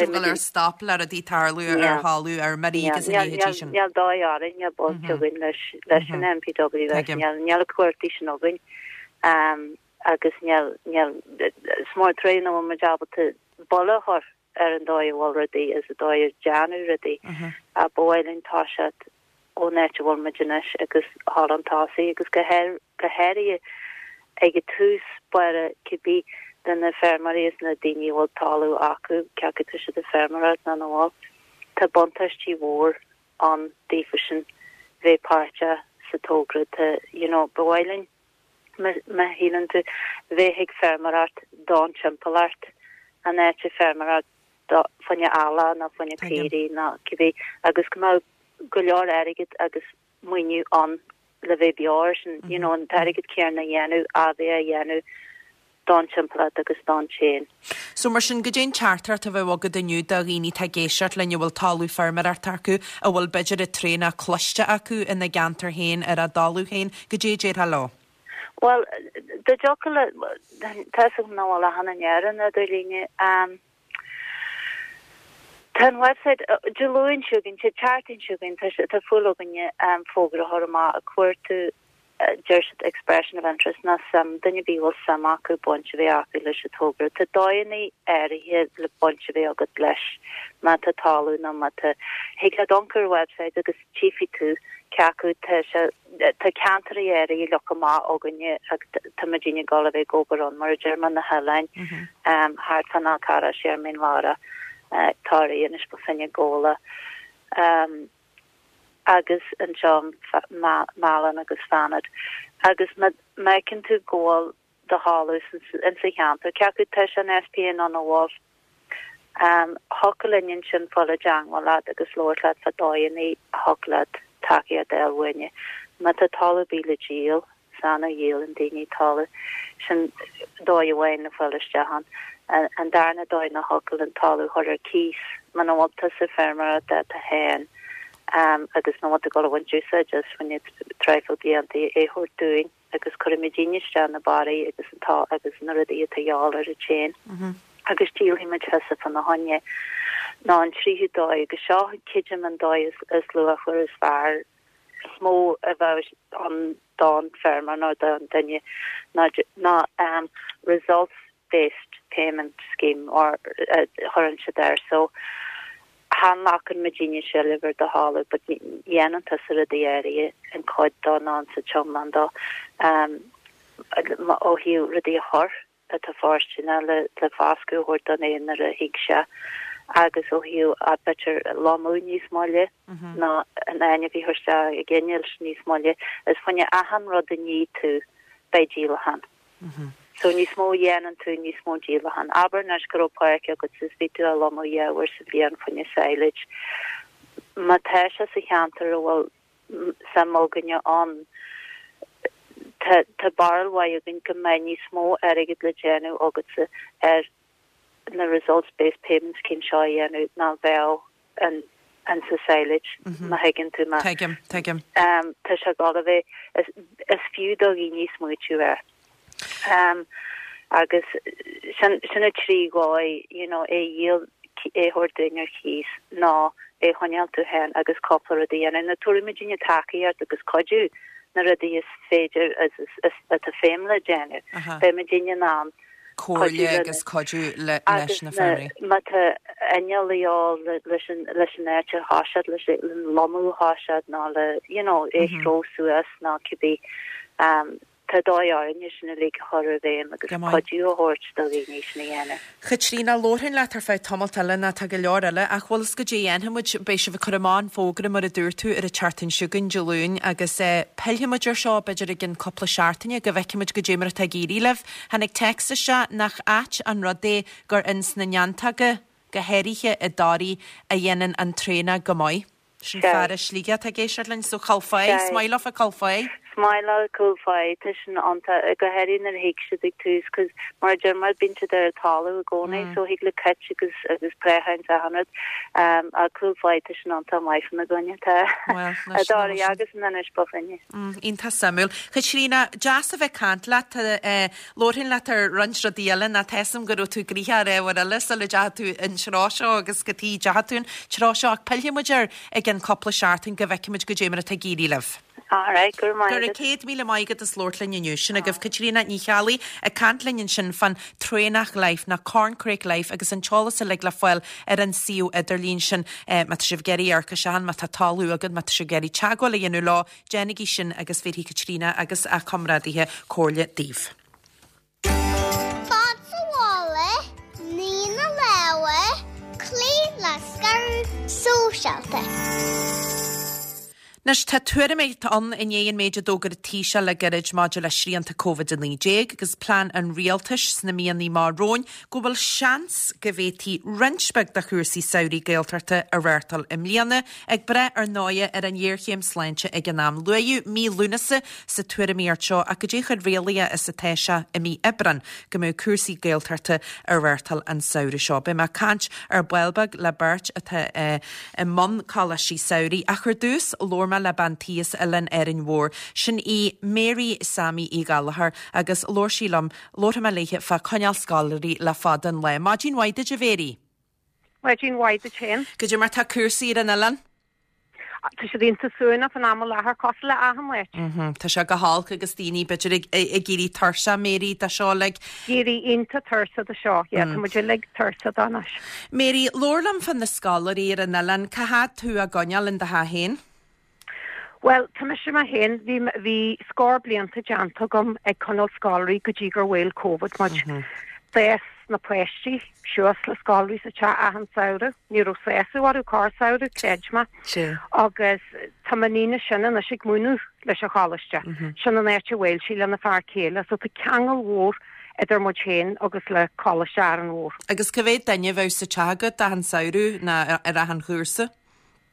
ag dul ar stop le rudaí tarlú ar thalamh ar meirí agus a leithéidí sin. Níl dóigh orainn, níl baint againn leis leis an NPWS, níl níl na cumhachtaí sin againn agus níl níl is mór an trua nach bhfuil muid ábalta buille a chur ar an dóigh a bhfuil rudaí is an dóigh a déanadh rudaí. Ba mhaith linn toiseacht ón áit a bhfuil muid anois agus thall an tosaigh agus go go háirithe ag an tús báire cibé de na feirmeoirí is na daoine a bhfuil talamh acu, cé acu tá siad ag feirmeoireacht nó nach bhfuil. Tá buntáistí mhór ann daofa sin bheith páirteach sa togra. Tá, you know, ba mhaith linn, má shíleann tú, bheith ag feirmeoireacht don timpeallacht, an áit ag feirmeoireacht do fá choinne eallaigh nó fá choinne caoirigh nó cibé agus go mbeadh go leor airgid agus maoiniú ann le bheith beo air sin, you know, an t-airgead céanna a dhéanamh, a bheith á dhéanamh don timpeallacht agus don tséan. So mar sin, goidé an teachtaireacht a bheadh agat inniu do dhaoine atá ag éisteacht linn a bhfuil talamh feirmeoireachta acu, a bhfuil b'fhéidir an traonach cloiste acu ina gceantar féin ar a dtalamh féin, goidé a déarfá leo? Bhuel, dá dtiocfadh le, tá a fhios agam nach bhfuil achan duine ar an idirlíne, tá an website, Dé Luain seo chugainn, Dé Ceardaoin seo chugainn, tá tá fúil againne fógra a chur amach ag cuartú deir siad expression of interest nó suim, duine ar bith a bhfuil suim acu baint a bheith acu leis an togra. Tá dóigheanna áirithe le baint a bheith agat leis má tá talamh nó má tá, thig leat amharc ar an website agus tchífidh tú cé acu tá sé, tá ceantair áirithe leagtha amach againne agus tá muidinne ag dul a bheith ag obair ann mar a deir mé na hoileáin thart fán Fhál Carrach, siar Mín Lárach, Toraigh, Inis Bó Finne, Gabhla. Agus anseo Málainn agus Fanad. Agus má fheiceann tú go bhfuil do thalamh insa cheantar, cé acu tá sé in SPA nó nach bhfuil, thiocfadh linn ansin fáil i dteangmháil leat agus labhairt leat fá dóigheanna a thiocfadh leat tacaíocht a fháil uainne. Má tá talamh ar bith le díol, is annamh a dhíolann daoine talamh, sin dóigh amháin le fáil isteach ann. An darna dóigh ná thiocfadh an talamh a chur ar cíos muna bhfuil tusa ag feirmeoireacht duit féin agus nach bhfuil tú ag dul a bhaint úsáid as fá choinne traidhfil blianta é a thabhairt dúinn agus cuirfidh muidinne isteach na barraí agus an tá agus na rudaí atá a dhíobháil ar an tséan agus díolfaidh muid thusa fána choinne. Nó an tríú dóigh agus seo creidim an dóigh is luachmhar is fearr is mó a bheadh ann don feirmeoir nó don duine ná ná results based payment scheme or a chuireann siad air so chan ghlacann muidinne seilbh ar do thalamh but dhéanann tusa rudaí áirithe an cuid dó nó an sa tiomlán dó ó thaobh rudaí a chur atá fóirsteanach le le foscadh a thabhairt don éan nuair a thig sé agus ó thaobh b'fhéidir lomadh níos moille ná an ainmhí a chur isteach ag innilt níos moille is fá choinne achan rud a ní tú beidh díolachán. So níos mó a dhéanann tú níos mó díolachán. Abair anois go raibh páirc agat is bhí tú á lomadh dhá uair sa bhliain fá choinne silage. Má tá sé sa cheantar a bhfuil suim againne ann tá tá barúil mhaith againn go mbeidh níos mó airgid le déanamh agatsa ar na results based payment scheme seo a dhéanamh ná bheadh an an sa silage má thuigeann tú mé. Tuigim, tuigim. Um, tá sé ag dul a bheith is, is fiú do dhaoine smaoitiú air. Um, agus sin sin na trí dhóigh you know, é dhíol é thabhairt dúinn ar cíos ná é choinneáil tú féin agus cúpla rud a dhéanamh. Nó tabharfaidh muidinne tacaíocht agus cuidiú na rudaí is féidir is, is, is, atá feidhm le déanamh. Beidh muidinne in ann Comhairle agus cuidiú le, leis na feirmeoirí. Má tá inneall a dhíobháil leis an leis an áit a thoiseacht leis an lomadh a thoiseacht ná le you know, é chró suas ná cibé Tá dóigh orainn é sin uilig a chur i bhfeidhm agus cuidiú a thabhairt do dhaoine sin a dhéanamh. Chaitríona, Labharfainn leat ar feadh tamalt eile ná tá go leor eile ach bhfuil fhios goidé a dhéanfaidh muid, beidh sibh ag cur amach an fógra mar a dúirt tú ar an tseachtain seo chugainn, Dé Luain, agus pillfidh muid ar seo b'fhéidir i gcionn cúpla seachtaine go bhfeicfidh muid goidé mar atá ag éirí libh. Tháinig téacs isteach nach ait an rud é gur ins na neantóga, go háirithe i dToraigh, a dhéanann an traonach go maith. Sin fear as Sligeach atá ag éisteacht linn, so Cúil Pháigh, is maith leofa Cúil Pháigh. Is maith leo Cúil Pháigh, tá sin iontach, go háirithe nuair a thig siad ag tús, 'cause mar a deir muid, bíonn siad ar an talamh i gcónaí, so thig le cait agus agus préacháin is achan rud. Ach Cúil Pháigh, tá sin iontach maith fána gcoinne, tá i dToraigh agus in Inis Bó Finne. Iontach suimiúil. Chaitríona, deas a bheith ag caint leat. Labharfainn leat ar roinnt rudaí eile ná tá 'fhios a'm go raibh tú gnoitheach ar ábhar eile sula dteachaigh tú an treo seo agus cad chuige a dteachaigh tú an treo seo ach pillfidh muid air i gcionn cúpla seachtain go bhfeicfidh muid goidé mar atá ag éirí libh. Alright, go raibh maith agat. Go raibh céad míle maith agat as labhairt linn inniu. Sin agaibh Caitríona Ní Cheallaigh ag caint linn ansin fán Traonach Life nó Corncrake Life agus an t-eolas uilig le fáil ar an suíomh idirlín sin. Má tá sibh ag iarraidh amharc isteach ann, má tá talamh agat, má tá sibh ag iarraidh teagmháil a dhéanamh leo, déanaigí sin agus bhéarfaidh Caitríona agus a comrádaithe comhairle daoibh. Fan sa bhaile, nigh na lámha, cloígh le scaradh sóisialta. Anois, tá tuairimíocht ann i ndiaidh an méid a d'fhógair an Taoiseach le gairid maidir le srianta Covid a naoi déag agus plean an rialtais sna míonna amach romhainn go bhfuil seans go bhféadfaí roinnt beag de chúrsaí samhraidh Gaeltachta a reáchtáil i mbliana, ag brath ar ndóighe ar an ghéarchéim sláinte ag an am. Luaíodh mí Lúnasa sa tuairimíocht seo ach goidé chomh réalaíoch is atá sé i mí Aibreáin go mbeadh cúrsaí Gaeltachta á reáchtáil an samhradh seo. Beidh mé ag caint ar ball beag le beirt atá i mbun coláistí samhraidh ach ar dtús labhair mé le bean tí as Oileán Árainn Mhór. Sin í Mary Sammy Uí Ghallchóir agus labhair sí liom, labharfaidh mé léithe fá coinneáil scoláirí le fada an lá. Maidin mhaith duit a Mhary. Maidin mhaith duit féin. Goidé mar tá cúrsaí ar an oileán? Tá siad iontach suaimhneach fán am i láthair cosúil le achan áit. Tá sé go holc agus daoine b'fhéidir ag ag éirí tuirseach Mary de seo uilig. Éirí iontach tuirseach de seo, yeah, tá muid uilig tuirseach de anois. Mary, labhair liom fá na scoláirí ar an oileán, cá fhad tú á gcoinneáil in do theach féin? Bhuel, tá mise mé féin, bhí bhí scór blianta déanta agam ag coinneáil scoláirí go dtí gur bhuail Covid muid. D'fhás na páistí suas le scoláirí sa teach achan samhradh. Ní raibh sásamh orthu corrsamhradh, creid mé. Agus tá m'iníon is sine anois ag múineadh leis an choláiste. Sin an áit a bhfuil sí lena fear céile. So tá ceangal mhór idir muid féin agus le Coláiste Árainn Mhór. Agus cá mhéad duine a bheadh sa teach agat achan samhradh ná ar achan chúrsa?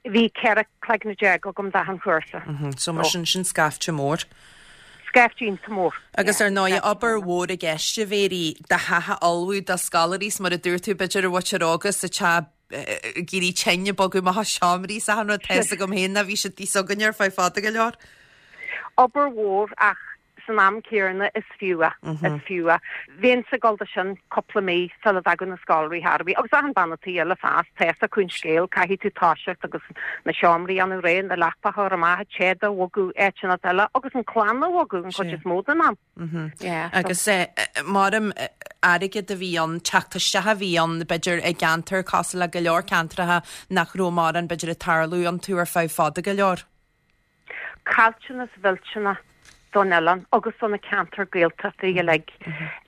Bhí ceithre cloigne déag agam d'achan chúrsa. So mar sin, sin scaifte mór. Scaifte iontach mór. Agus ar ndóigh, obair mhór i gceist, a Mhary, do theach a ullmhú do scoláirí 's mar a dúirt tú, b'fhéidir an mhuintir óga sa teach ag éirí tinn ag bogadh amach as seomraí 's achan rud, tá 'fhios agam féin ná bhí siad thíos againne ar feadh fada go leor. Obair mhór ach san am céanna is fiú é, is fiú é. Bheinnse ag dul de sin cúpla mí sula dtagadh na scoláirí thar bith, agus achan bean tí eile feasta, tá 'fhios acu an scéal, caithfidh tú toiseacht agus na seomraí a dhéanamh réidh, na leapacha a chur amach, an téad a bhogadh áiteanna eile agus an clann a bhogadh an chuid is mó den am. Yeah, so. Agus maram airgead a bhí ann, teacht isteach a bhí ann, b'fhéidir i gceantar cosúil le go leor ceantracha nach raibh mórán b'fhéidir ag tarlú iontu ar feadh fada go leor. Caillteanas mhillteanach don oileán agus do na ceantair Gaeltachta uilig,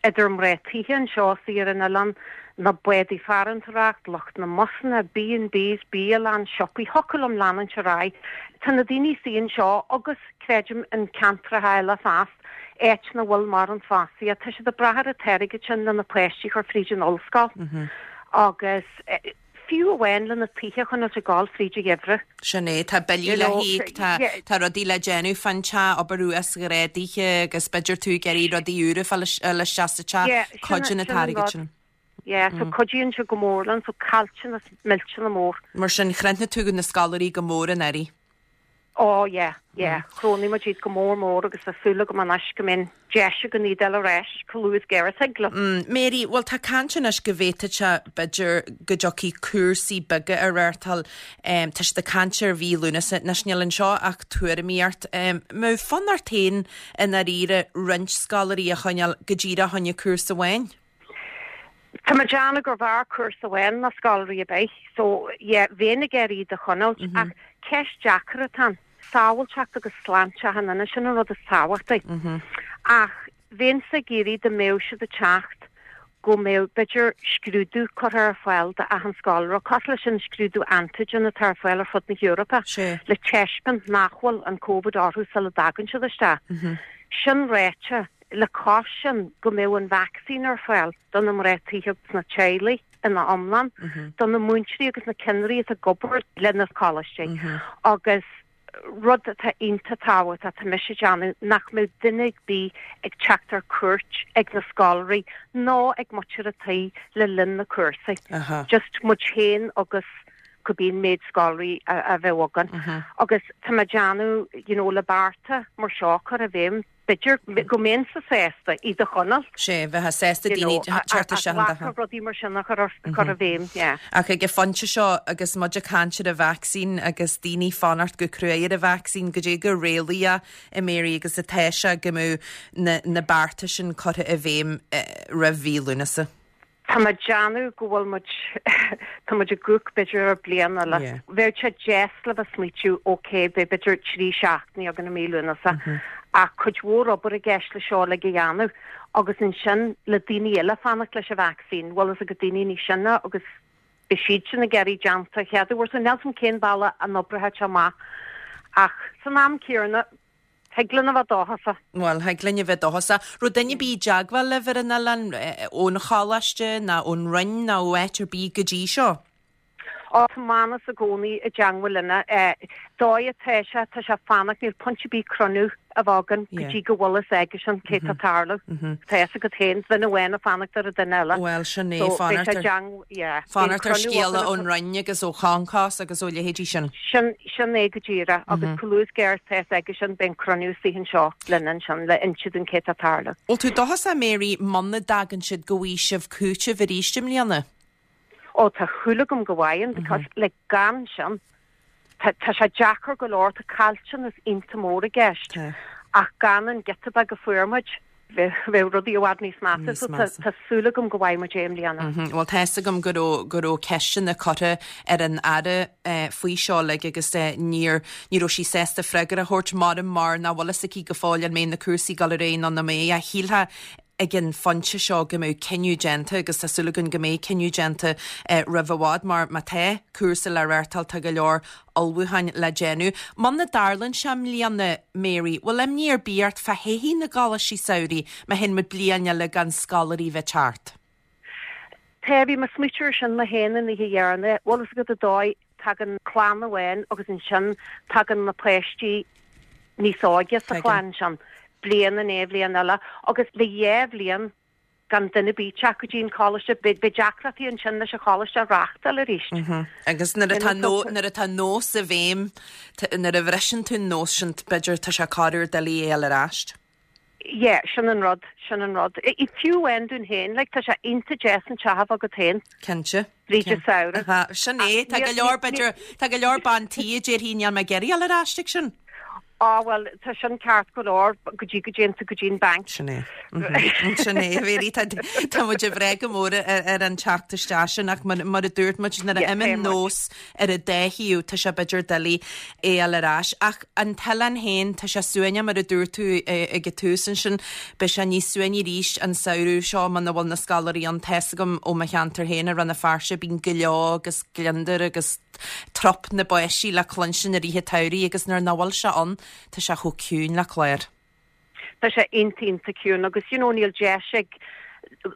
idir mná tithe anseo istigh ar an oileán, na bádaí farantóireacht, lucht na mbusanna, B and Bs, bialann, siopaí, thiocfadh liom leanúint ar aghaidh. Tá na daoine istigh anseo agus, creidim, in ceantracha eile feasta, áit nach bhfuil mórán fostaíocht, tá siad ag brath ar an t-airgead sin le na páistí a chur fríd an ollscoil agus fiú amháin le na tithe a choinneáilt ag gabháil fríd an gheimhreadh. Sin é, tá billí le híoc, tá tá rudaí le déanamh fán teach, obair uasghrádaithe agus b'fhéidir tú ag iarraidh rudaí úra a fháil isteach sa teach, cuidíonn an t-airgead sin. Yeah, so cuidíonn sé go mór linn, so caillteanas millteanach mór. Mar sin, chrothnaigh tú na scoláirí go mór anuraidh. Oh yeah, yeah, chrothnaigh muid iad go mór mór agus tá súil agam anois go mbeidh deis againn iad a fháil ar ais chomh luath is géar is thig leo. Mary, bhuel tá caint anois go bhféadfadh sé b'fhéidir go dtiocfaidh cúrsaí beaga a reáchtáil, tá siad ag caint ar mhí Lúnasa, anois níl anseo ach tuairimíocht. Mbeadh fonn ort féin i ndáiríre roinnt scoláirí a choinneáil go díreach choinne cúrsa amháin? Tá mé ag déanamh gur bhfearr cúrsa amháin ná scoláirí ar bith so yeah bheinn ag iarraidh iad a choinneáilt ach ceist deacair atá ann. Sábháilteacht agus sláinte achan duine, sin an rud is tábhachtaí. Ach bheinnse ag iarraidh dá mbeadh siad ag teacht go mbeadh b'fhéidir scrúdú curtha ar fáil d'achan scoláire, cosúil leis an scrúdú antigen atá ar fáil ar fud na hEorpa, le taispeáint nach bhfuil an Covid orthu sula dtagann siad isteach. Sin ráite, le cois sin go mbeadh an vacsaín ar fáil do na mná tí agus na teaghlaigh ina iomlán, do na múinteoirí agus na cinnirí atá ag obair le na coláistí agus rud atá iontach tábhachtach tá mise ag déanamh nach mbeadh duine ar bith ag teacht ar cuairt ag na scoláirí ná ag muintir an tí le linn na cúrsaí. Just muid féin agus cibé an méid scoláirí a bheadh againn. Agus tá mé ag déanamh you know, le bearta mar seo a chur i bhfeidhm b'fhéidir go mbeinnse sásta iad a choinneáil. Sé bheith sásta daoine teacht isteach. rudaí mar sin a chur chur i bhfeidhm, yeah. Ach ag an phointe seo agus muid ag caint ar an vacsaín agus daoine fanacht go cruaidh ar an vacsaín goidé chomh réalaíoch a Mary agus atá sé go mbeadh na, na bearta sin curtha i bhfeidhm eh, roimh mhí Lúnasa. Tá mé ag déanamh go bhfuil muid tá muid ag amharc b'fhéidir ar bliain eile. Yeah. Bheadh sé deas le bheith smaoitiú ok beidh b'fhéidir trí seachtainí againn i mí Lúnasa. Ach cuid mhór obair i gceist le seo le go dhéanamh agus ansin le daoine eile fanacht leis an vacsaín, bhfuil fhios agat daoine níos sine agus beidh siad sin ag iarraidh déanta chéad uair so níl fhios cén bealach a n-oibreoidh sé amach. Ach san am céanna thig linn a bheith dóchasach. Bhuel, thig linn a bheith dóchasach. Raibh duine ar bith i dteagmháil libh ar an oileán ón choláiste ná ón Roinn ná ó áit ar bith go dtí seo? Ó tá Manus i gcónaí i dteagmháil linne. Dóigh atá sé tá sé fanacht níl point ar bith cruinniú a bheith againn go dtí go bhfuil fhios aigesean cé tá tarlú. Tá fhios agat féin duine amháin ag fanacht ar an duine eile. Bhuel sin é fanacht ar scéala ón Roinn agus ó Concos agus ó leithéidí sin. Sin sin é go díreach agus chomh luath is atá fhios aigesean beidh cruinniú anseo linn ansin le inse dúinn cé tá tarlú. Bhfuil tú dóchasach Mary muna dtagann siad go bhfaighidh sibh cúiteamh arís i mbliana? Ó tá súil agam go bhfaighidh because le gan sin tá sé deacair go leor tá caillteanas iontach mór i gceist ach gan an giota beag a fuair muid bheadh rudaí i bhfad níos measa so tá súil agam go bhfaighidh muid é i mbliana. Bhuel tá fhios agam go raibh go raibh ceisteanna curtha ar an aire faoi seo le agus níor ní raibh sí sásta freagra a thabhairt mar mar nach bhfuil fhios aici go fóill an mbeidh na cúrsaí ag dul ar aghaidh nó nach mbeidh a shílfeá ag an phointe seo go mbeidh cinneadh déanta agus tá súil againn go mbeidh cinneadh déanta roimh i bhfad mar má tá cúrsa le reáchtáil tá go leor ullmhúcháin le déanamh. Muna dtarlaíonn sé i mbliana Mary, bhfuil imní ar bith ort fá thaithí na gcoláistí samhraidh má théann muid bliain eile gan scoláirí bheith teacht. Tá bhí mé ag smaoitiú air sin mé féin an oíche dheireanach, bhfuil fhios agat an dóigh tagann clann amháin agus ansin tagann na páistí níos óige sa chlann sin. bliain i ndiaidh bliain eile agus le dhá bhliain gan duine ar bith teacht go dtí an choláiste beidh deacrachtaí ansin leis an choláiste a reáchtáil arís. Agus nuair atá nuair atá nós i bhfeidhm nuair a bhriseann tú an nós sin b'fhéidir tá sé corruair doiligh é a fháil ar ais. Yeah, sin an rud, sin an rud. I fiú amháin dúinn féin, like, tá sé iontach deas an teach a bheith agat féin. Cinnte. Bríd samhradh. Sin é, tá go leor b'fhéidir tá go leor bean tí a déarfaidh níl mé ag iarraidh a fháil ar ais ag sin. Á well tá sin ceart go leor go dtí go dtéann tú go dtí an bank. Sin é. Sin é Mary tá tá muid ag brath go mór ar an teacht isteach sin ach mar a dúirt muid nuair a imíonn nós ar an dá thaobh tá sé b'fhéidir doiligh é a fháil ar ais. Ach an t-oileán féin tá sé suaimhneach mar a dúirt tú ag an tús ansin beidh sé níos suaimhní arís an samhradh seo muna bhfuil na scoláirí ann tá fhios agam ó mo cheantar féin i Rann na Feirste bíonn gleo agus gliondar agus trup na bpáistí le cluinstin i rith an tsamhraidh agus nuair nach bhfuil sé ann tá sé chomh ciúin le clár. Tá sé iontach iontach ciúin agus you know níl deis ag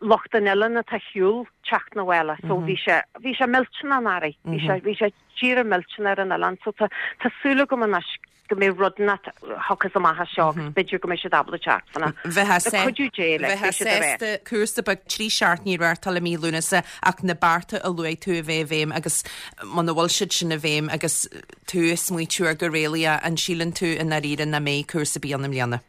lucht an oileáin atá ar shiúl teacht 'na bhaile so bhí sé bhí sé millteanach anuraidh bhí sé bhí sé díreach millteanach ar an oileán so tá tá súil agam anois go mbeidh rud inteacht a thiocfas amach as seo agus b'fhéidir go mbeidh siad ábalta teacht fanna. Bheith cuidiú Dé le bheith sásta cúrsa beag trí seachtainí a reáchtáil i mí Lúnasa ach na bearta a luaigh tú a bheith i bhfeidhm agus muna bhfuil siad sin i bhfeidhm agus tú ag smaoitiú ar go réalaíoch an síleann tú i ndáiríre nach mbeidh cúrsa ar bith ann i mbliana.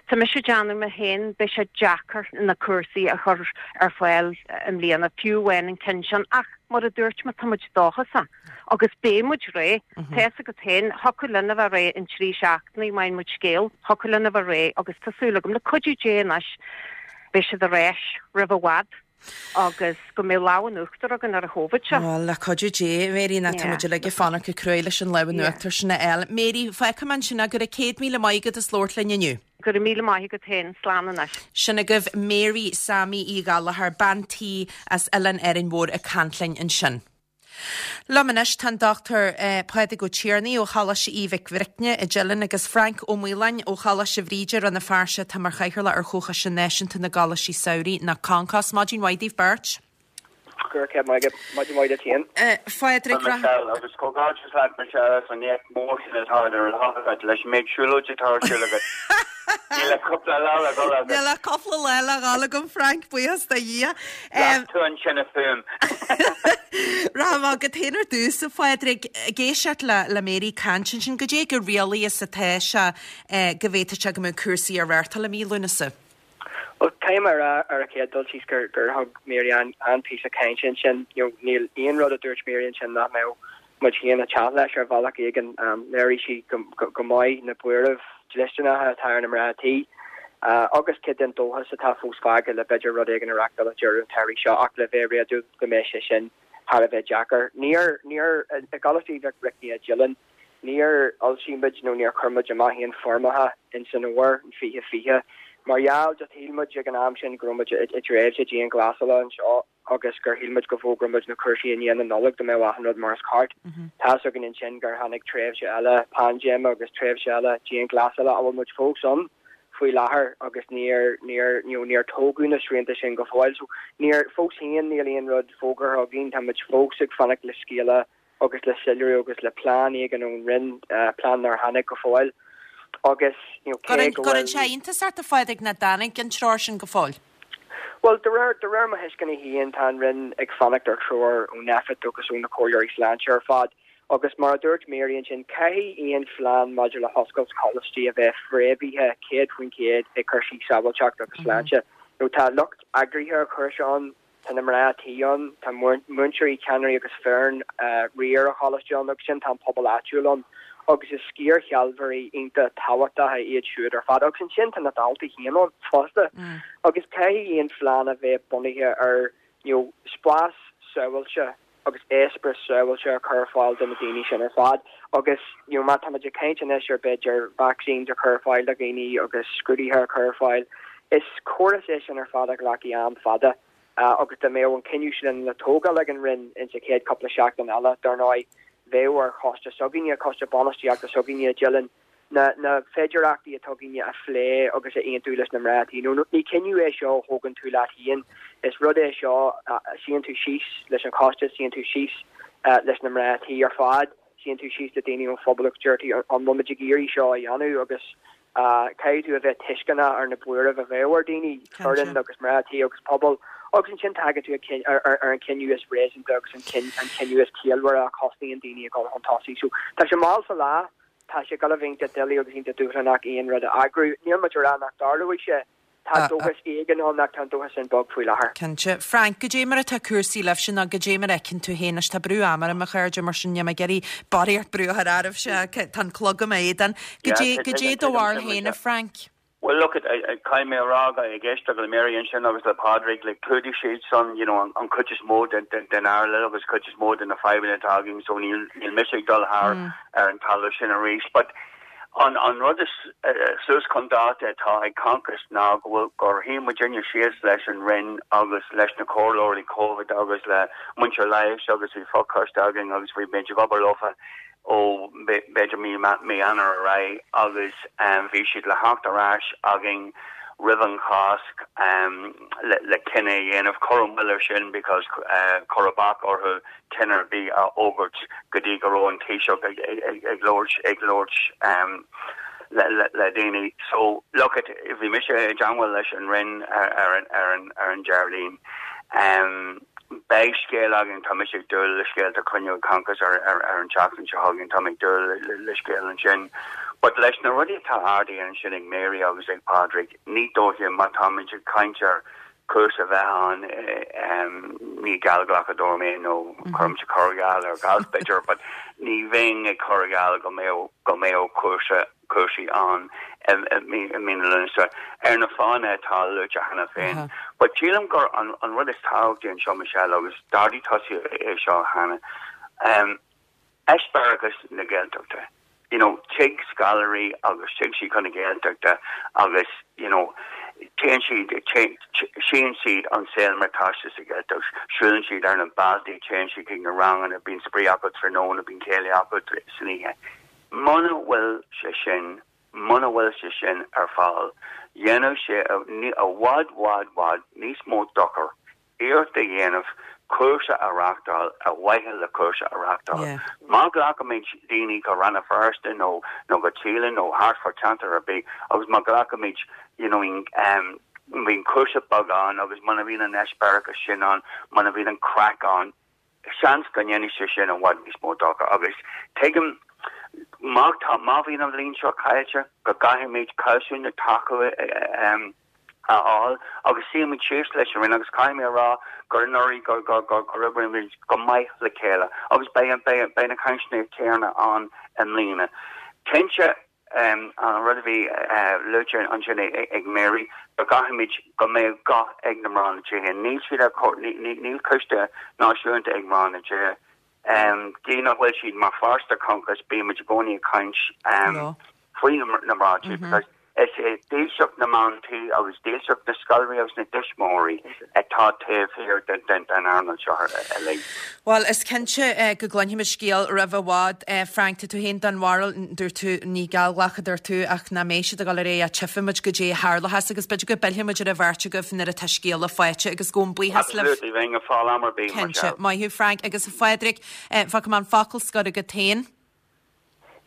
Tá mise ag déanamh mé féin beidh sé deacair na cúrsaí a chur ar fáil i mbliana fiú amháin an ceann sin ach mar a dúirt mé tá muid dóchasach agus beidh muid réidh tá fhios agat féin thiocfadh linn a bheith réidh in trí seachtainí má fhaigheann muid scéal thiocfadh linn a bheith réidh agus tá súil agam le cuidiú Dé anois beidh siad ar ais roimh i bhfad. agus go mbeidh lámh in uachtar againn ar an Chovid seo. Bhuel, le cuidiú Dé, Mary, ná tá muid uilig ag fanacht go cruaidh leis an lámh in uachtar sin a fháil. Mary, fágfaidh mé ansin go raibh céad míle maith agat as labhairt linn inniu. Go raibh míle maith agat féin, slán anois. Sin agaibh Mary Sammy Uí Ghallchóir, bean tí as Oileán Árainn Mhór ag caint linn ansin. Liom anois tá an Dochtúir Pádraig Ó Tiarnaigh ó Choláiste Aoidh Mhic Bhricne i dTeileann agus Frank Ó Maoláin ó Choláiste Bhríde, Rann na Feirste atá mar chathaoirleach ar Chomhchoiste Náisiúnta na gColáistí Samhraidh nó Concos. Maidin mhaith daoibh beirt. Go raibh maith agat. Maidin mhaith duit féin. A Phádraig, Tá Michelle, agus comhghairdeas leat Michelle as an éacht mór sin atá idir lámha agat leis an méid siúlóide atá ar siúl agat. Níl ach cúpla lá le dhul agat. Níl ach cúpla lá le dhul agam Frank, buíochas do Dhia. Las tú an tine fúm. Rachaidh mé chugat féin ar dtús, a Phádraig, ag éisteacht le le Mary ag caint ansin, goidé chomh réalaí is atá sé go bhféadfadh sé go mbeadh cúrsaí á reáchtáil i mí Lúnasa. Bhuel, caithfidh mé a rá ar an chéad dul síos gur gur thug Mary an-phíosa cainte ansin. You know, níl aon rud a dúirt Mary ansin nach mbeadh muid féin ag teacht leis ar bhealach éigin. Léirigh sí go go maith na buairimh dlisteanacha atá ar na mná tí agus cuid den dóchas atá fós fágtha le b'fhéidir rud éigin a reáchtáil ag deireadh an tsamhraidh seo ach le bheith réadúil go mbeidh sé sin thar a bheith deacair. Níor, níor, i gColáiste Mhic Bricne i dTeileann, níor fhoilsigh muid nó níor chuir muid amach aon foirmeacha in san fhómhar in fiche fiche mar gheall just shíl muid ag an am sin go raibh muid i dtréimhse dianghlasála anseo agus gur shíl muid go bhfógródh muid na cúrsaí i ndiaidh na Nollag go mbeadh achan rud mar is ceart. Tá's againn ansin gur tháinig tréimhse eile paindéime agus tréimhse eile dianghlasála a bhfuil muid fós ann faoi láthair agus níor níor you know níor tógadh na srianta sin go fóill. So níor fós féin níl aon rud fógartha againn, tá muid fós ag fanacht le scéala agus le soiléiriú agus le plean éigin ón Roinn, plean nár tháinig go fóill agus you know cé go bhfuil. Cuireann sé iontas ort a Phádraig nach dtáinig an treoir sin go fóill? Bhuel, de réir, de réir mo thuisceana féin, tá an Roinn ag fanacht ar threoir ó Nphet agus ó na comhairleoirí sláinte ar fad agus mar a dúirt Mary ansin, caithfidh aon phlean maidir le hoscailt coláistí a bheith fréamhaithe céad faoin chéad i gcúrsaí sábháilteachta agus sláinte. Nó tá lucht eagraithe an chúrsa ann, Tá na mná tí ann, tá múinteoirí, ceannairí agus foireann riar an choláiste ann agus ansin tá an pobal áitiúil ann agus is sciarshealbhóirí iontach tábhachtacha iad siúd ar fad agus ansin tá na daltaí féin ann fosta agus caithfidh aon phlean a bheith bunaithe ar you know spás sábháilte agus eispéireas sábháilte a chur ar fáil do na daoine sin ar fad agus you know má tá muid ag caint anois ar b'fhéidir vaccines a chur ar fáil do dhaoine agus scrúduithe a chur ar fáil, is córas é sin ar fad a ghlacfaidh am fada agus dá mbeadh an cinneadh sin le tógáil ag an Roinn insa chéad cúpla seachtain eile, dar ndóigh, bheadh ar choiste s'againne, coiste bainistíochta s'againne i dTeileann, na na féidearthachtaí atá againne a phlé agus a aontú leis na mná tí. Nó ní cinneadh é seo a thógann tú leat féin, is rud é seo a suíonn tú síos leis an choiste, suíonn tú síos leis na mná tí ar fad, suíonn tú síos le daoine ón phobal agus deir tú an bhfuil muid ag iarraidh seo a dhéanamh agus caithfidh tú a bheith tuisceanach ar na buairimh a bheadh ar daoine, foireann agus mná tí agus pobal agus ansin tagann tú ar an cinneadh is réasúnta agus an cinneadh is ciallmhaire a chosnaíonn daoine ag dul chun tosaigh. So tá sé mall sa lá. Tá sé ag dul a bheith iontach doiligh agus iontach dúshlánach aon rud a eagrú. Níl muid ag rá nach dtarlóidh sé. Tá dóchas éigin ann ach tá an dóchas sin bog faoi láthair. Cinnte. Frank, goidé mar atá cúrsaí libhse nó goidé mar a fheiceann tú féin anois? Tá brú ama orm, a chairde, mar sin níl mé ag iarraidh barraíocht brú a chur oraibhse ach tá an clog i m'éadan. Goidé, goidé do bharúil féin, a Frank? Bhuel, look, caithfidh mé a rá, ag éisteacht le Mary ansin agus le Pádraig, like, chlúdaigh siad san, you know, an chuid is mó den airle agus cuid is mó de na fadhbanna atá againn, so níl, níl mise ag dul thar ar an talamh sin arís. But an, an rud is suas chun dáta atá ag Concos ná go bhfuil, gur shuigh muidinne síos leis an Roinn agus leis na comhairleoirí Covid agus le muintir leighis agus bhí fochoiste againn agus bhí muid ag obair leofa ó b'fhéidir mí mí Eanáir ar aghaidh agus bhí siad le theacht ar ais againn roimh an Cháisc le le cinneadh a dhéanamh. Cuireadh moill air sin because cuireadh bac orthu cinneadh ar bith a fhógairt go dtí go raibh an Taoiseach ag ag ag labhairt ag labhairt le le le daoine. So look it, bhí mise i dteangmháil leis an Roinn ar ar an ar an ar an Déardaoin. Beidh scéal againn, tá mise ag dúil le scéal, tá cruinniú ag Concos ar ar an tseachtain seo chugainn, tá mé ag dúil le scéal ansin. But leis na rudaí atá ardaithe ansin ag Mary agus ag Pádraig, ní dóiche, má táimid ag caint ar chúrsa a bheith ann, ní geallghlacadóir mé nó cuirimse corrgheall ar ghalf b'fhéidir, but ní bheinn ag cur geall go mbeadh go mbeadh cúrsa cúrsaí ann i mí na Lúnasa ar na fáthanna atá luaite cheana féin. But sílim gur an an rud is tábhachtaí anseo Michelle agus d'ardaigh tusa é seo cheana um, eispéireachas na Gaeltachta. You know, tig scoláirí agus tig siad chun na Gaeltachta agus you know, téann siad tchíonn siad an saol mar atá sé sa Ghaeltacht, siúlann siad ar na bealtaí, téann siad chuig na ranganna, bíonn spraoi acu tráthnóna, bíonn céilí acu san oíche. Muna bhfuil sé sin, muna bhfuil sé sin ar fáil, dhéanfadh sé i bhfad bhfad bhfad níos mó dochar iarracht a dhéanamh cúrsa a reáchtáil ar mhaithe le cúrsa a reáchtáil. Má ghlacaimid daoine go Rann na Feirste nó nó go Teelin nó thart fá cheantar ar bith agus má ghlacaimid you know um, bhíonn cúrsa beag ann agus muna bhíonn an eispéireachas sin ann, muna bhíonn an craic ann, seans go ndéanfaidh sé sin i bhfad níos mó dochar agus tuigim má tá má bhíonn an bhliain seo caillte go gcaithfimid cobhsú na tacú um, a fháil agus suímid síos leis an Roinn agus caithfidh mé a rá gur anuraidh gur gur gur gur oibrímid go maith le chéile agus beidh beidh beidh na cainteanna céanna ann i mbliana. Cinnte um, an rud a bhí uh, luaite ansin ag Mary go gcaithfimid go mbeidh guth ag na mná na tithe. Níl siad ar níl coiste náisiúnta ag mná na tithe. Um, Gí nach bhfuil siad mar pháirt de Concos bímid i gcónaí ag caint um, faoi na mná tí because is é dílseacht na mban tí agus dílseacht na scoláirí agus na dtuismitheoirí atá taobh thiar den den den earnáil seo uilig. Well, is cinnte eh, go gcluinfimid scéal roimh i bhfad eh, Frank tá tú féin den bharúil dúirt tú ní geallghlacadh dúirt tú ach nach mbeidh siad ag dul ar aghaidh tchífimid goidé a tharlós agus b'fhéidir go bpillfimid ar an bheirt agaibh nuair atá scéala faighte agus gabhaim buíochas libh. Absolutely, bheinn ag fáil am ar bith Cinnte, maith thú Frank agus a Phádraig eh, fágfaidh mé an focal scoir agat féin.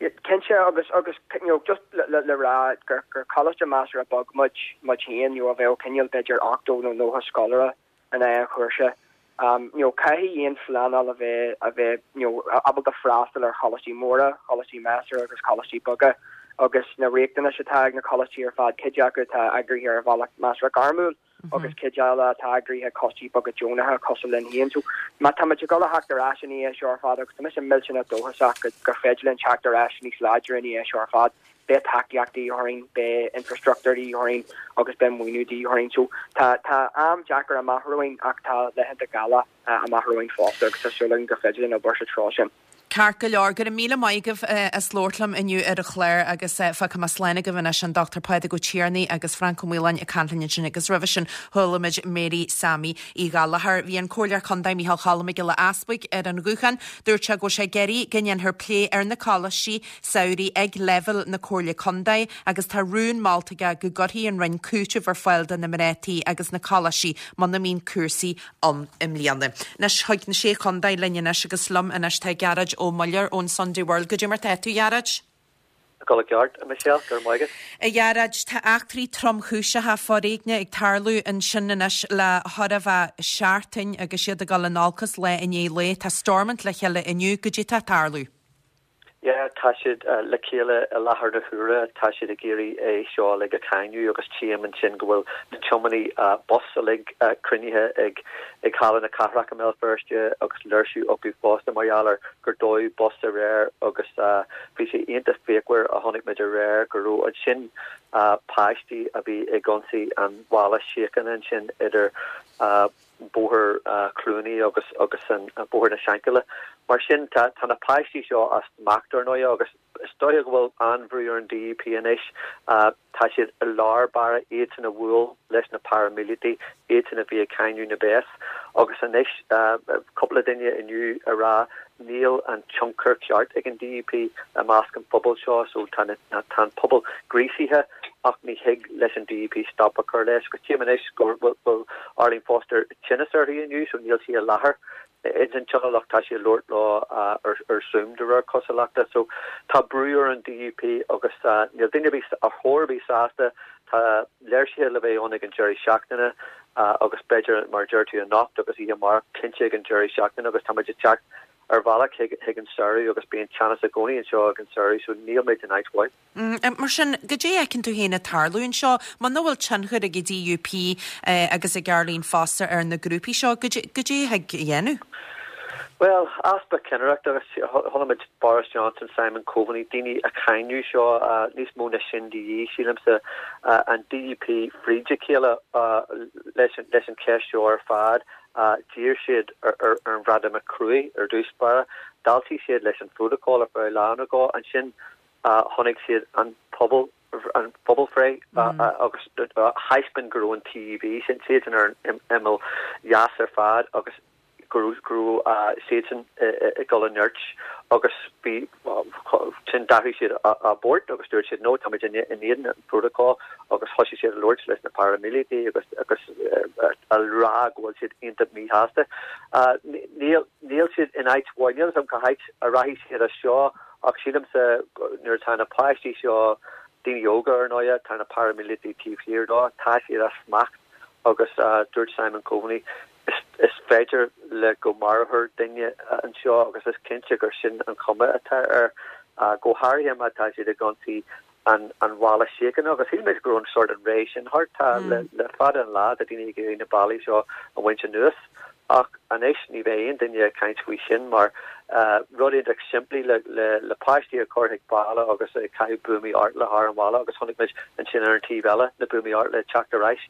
Cinnte agus agus you know, just le, le, le rá gur gur coláiste measartha beag muid muid féin you know, a bheadh cineál b'fhéidir ochtó nó nócha scoláire in aon chúrsa. Um, you know, caithfidh aon phleanáil a bheith a bheith you know, ábalta freastal ar choláistí móra, choláistí measartha agus choláistí beaga agus na riachtanais atá ag na coláistí ar fad cuid acu atá eagraithe ar bhealach measartha gairmiúil agus cuid eile atá eagraithe coistí beaga deonacha cosúil linn féin. So má tá muid ag dul a theacht ar ais ina dhiaidh seo ar fad agus tá mise millteanach dóchasach go gur féidir linn teacht ar ais níos láidre ina dhiaidh seo ar fad. Beidh tacaíocht de dhíth orainn, beidh infrastruchtúr de dhíth orainn agus beidh maoiniú de dhíth orainn. So tá tá am deacair amach romhainn ach tá laethanta geala amach romhainn fosta agus tá súil againn gur féidir linn obair sa treo sin. Ceart go leor go raibh míle maith agaibh as labhairt liom inniu ar an chlár agus fágfaidh mé slán agaibh anois an Dr Pádraig Ó Tiarnaigh agus Frank Ó Maoláin ag caint linn ansin agus roimhe sin chuala muid Mary Sammy Uí Ghallchóir. Bhí an Comhairleoir Contae Micheál Cholm Mac Giolla Easbuig ar an ghuthán, dúirt sé go bhfuil sé ag iarraidh go ndéanfar plé ar na coláistí samhraidh ag leibhéal na Comhairle Contae agus tá rún molta aige go gcuirfidh an Roinn cúiteamh ar fáil do na mná tí agus na coláistí muna mbíonn cúrsaí ann i mbliana. Anois chuig na sé chontae linn anois agus liom anois tá Gearóid Ó Muilleoir ón Sunday World. Goidé mar tá tú Ghearóid? Go ceart a Michelle gur maige. A Ghearóid tá eachtraí tromchúiseacha foréigin ag tarlú ansin anois le chóir a bheith seachtain agus iad ag dul in olcas lá i ndiaidh lae tá Stormont le chéile inniu goidé tá ag tarlú. Yeah, tá siad uh, le chéile i láthair na huaire tá siad ag iarraidh é seo le a cáineadh agus tchím ansin go bhfuil na tiománaithe uh, bus uilig uh, cruinnithe ag ag Halla na Cathrach i mBéal Feirste agus léirsiú acu fosta mar gheall ar gur dódh bus aréir agus uh, bhí sé iontach fíochmhar a chonaic muid aréir go raibh ansin uh, páistí a bhí ag ionsaí an bhalla síochána ansin idir uh, Bóthar uh, Cluanaí agus agus an uh, Bóthar na Seanchille. Mar sin tá tá na páistí seo as smacht ar ndóigh agus is dóigh go bhfuil an-bhrú ar an DUP anois uh, tá siad i lár báire iad sin a bhuail leis na paraimíleataigh iad sin a bhí ag cáineadh na béas agus anois uh, cúpla duine inniu a rá níl an tionchar ceart ag an DUP i measc an phobal seo so tá tá an pobal gríosaithe ach ní thig leis an DUP stop a chur leis go tchím anois go bhfuil Arlene Foster tinneas uirthi inniu so níl sí i láthair ins an tionól ach tá sí ag labhairt leo ar ar Zoom de réir cosúlachta so tá brú ar an DUP agus uh, níl duine ar chor ar bith sásta tá léirsithe le bheith ann ag an deireadh seachtaine uh, agus b'fhéidir mar deir tú anocht agus oíche amárach cinnte ag an deireadh seachtaine agus tá muid ag teacht ar bhealach chuig an samhradh agus bíonn teannas i gcónaí anseo ag an samhradh so níl muid in áit mhaith. Mm, mar sin goidé a fheiceann tú féin ag tarlú anseo, muna bhfuil tionchar ag an DUP eh, agus ag Arlene Foster ar na grúpaí seo, goidé a thig a dhéanamh? Bhuel, easpa cinnireachta agus chonaic muid Boris Johnson, Simon Coveney, daoine ag cáineadh seo, níos mó ná sin de dhíth, sílimse, an DUP fríd a chéile leis an cheist seo ar fad. D'iarr siad ar an Bhreatimeacht cruaidh ar dtús báire, d'fháiltigh siad leis an phrótacal ar feadh lá nó dhó, ansin chonaic siad an pobal, an phobalbhreith agus thaispeáin go raibh an TUV, sin siadsan ar an imeall dheas ar fad agus go raibh siadsan ag dul i nirt agus bhí sin d'athraigh siad a bport agus dúirt siad no táimid in éadan an phrótacal agus thosaigh siad ag labhairt leis na paraimíleataigh agus agus a rá go bhfuil siad iontach míshásta. Níl níl siad in áit mhaith, níl a fhios agam cá háit a rachaidh siad as seo ach sílimse nuair atá na páistí seo, daoine óga ar ndóigh, tá na paraimíleataigh taobh thiar dó, tá siad as smacht agus dúirt Simon Coveney Is féidir le go marófar duine anseo agus is cinnte gur sin an chuma atá air, go háirithe má tá siad ag ionsaí an bhalla síochána agus shíl muid go raibh an sórt an ré sin thart. Tá le fada an lá tá daoine ag iarraidh na ballaí seo a bhaint anuas ach anois ní bheidh aon duine ag caint faoi sin mar rud iontach simplí le páistí a chur chuig balla agus ag caitheamh buamaí artla thar an bhalla agus chonaic muid ansin ar an taobh eile na buamaí artla ag teacht ar ais.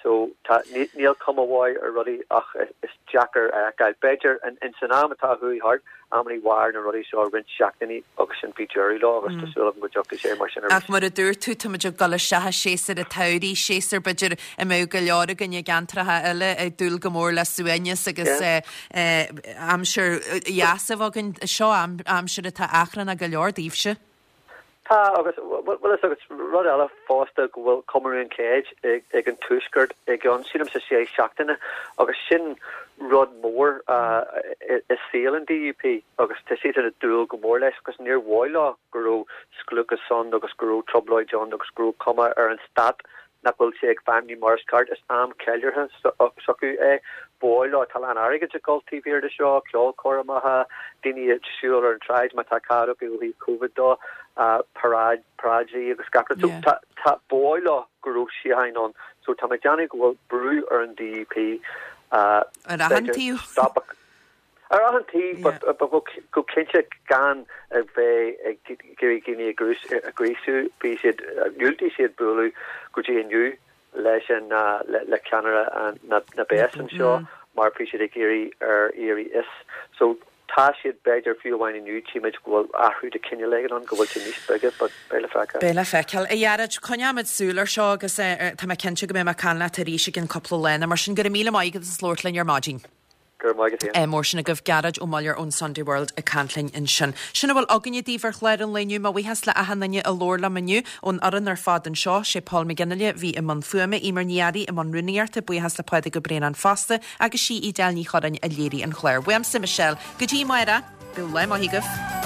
So tá, níl cuma mhaith ar rudaí ach is deacair a fheiceáil. B'fhéidir in san am atá chuaigh thart, amannaí mhair na rudaí seo roinnt seachtainí agus sin bhí deireadh leo agus tá súil agam go dtiocfaidh sé mar sin arís. Ach mar a dúirt tú, táimid ag dul isteach i séasúr an tsamhraidh, séasúr b'fhéidir a mbeadh go leor againn i gceantracha eile ag dúil go mór le suaimhneas agus aimsir dheas a bheith againn. Seo aimsir atá achrannach go leor daoibhse. Tá, agus bhfuil fhios agat rud eile fosta go bhfuil comóradh an chéid ag an Tuaisceart i gceann, sílimse, sé seachtaine agus sin rud mór i saol an DUP agus tá siadsan ag dúil go mór leis agus níor mhaith leo go raibh scliúchas ann agus go raibh trioblóid ann agus go raibh cuma ar an stát nach bhfuil sé ag feidhmiú mar is ceart. Is am ceiliúrtha s'acu é. Ba mhaith leo, tá a lán airgid ag dul taobh thiar de seo, ceolchoirmeacha, daoine ag siúl ar an tsráid má tá cead acu ó thaobh Covid dó, paráid, paráidí agus gach rud. So tá, tá, ba mhaith leo go raibh síocháin ann. So tá mé ag déanamh go bhfuil brú ar an DUP, Ar achan b'fhéidir taobh. stop a, Ar achan taobh, but go cinnte gan a bheith ag iarraidh daoine a ghríosú, bhí siad, dhiúltaigh siad bualadh go dtí inniu leis an, le ceannaire na bpéas anseo mar bhí siad ag iarraidh ar éirí as. So tá siad, b'fhéidir fiú amháin inniu, tchímid go bhfuil athrú de chineál éigin ann, go bhfuil sé níos bige, but beidh le feiceáil. Beidh le feiceáil. A Ghearóid, coinneoimid súil ar seo agus tá mé cinnte go mbeidh mé ag caint leat arís i gcionn cúpla lá nó mar sin. Go raibh míle maith agat as labhairt linn ar maidin. Go raibh maith agat féin. Mór sin agaibh, Gearóid Ó Muilleoir ón Sunday World ag caint linn ansin. Sin a bhfuil againne daoibh ar chlár an lae inniu. Mo bhuíochas le achan duine a labhair liom inniu ón fhoireann ar fad anseo. Sé Paul McGinley a bhí i mbun fuaime, Eimear Ní Fhearraigh i mbun rúnaíochta, buíochas le Pádraig Ó Braonáin fosta agus sí Edel Ní Churráin a léirigh an clár. Uaimse, Michelle, go dtí amárach, bíodh lá maith agaibh.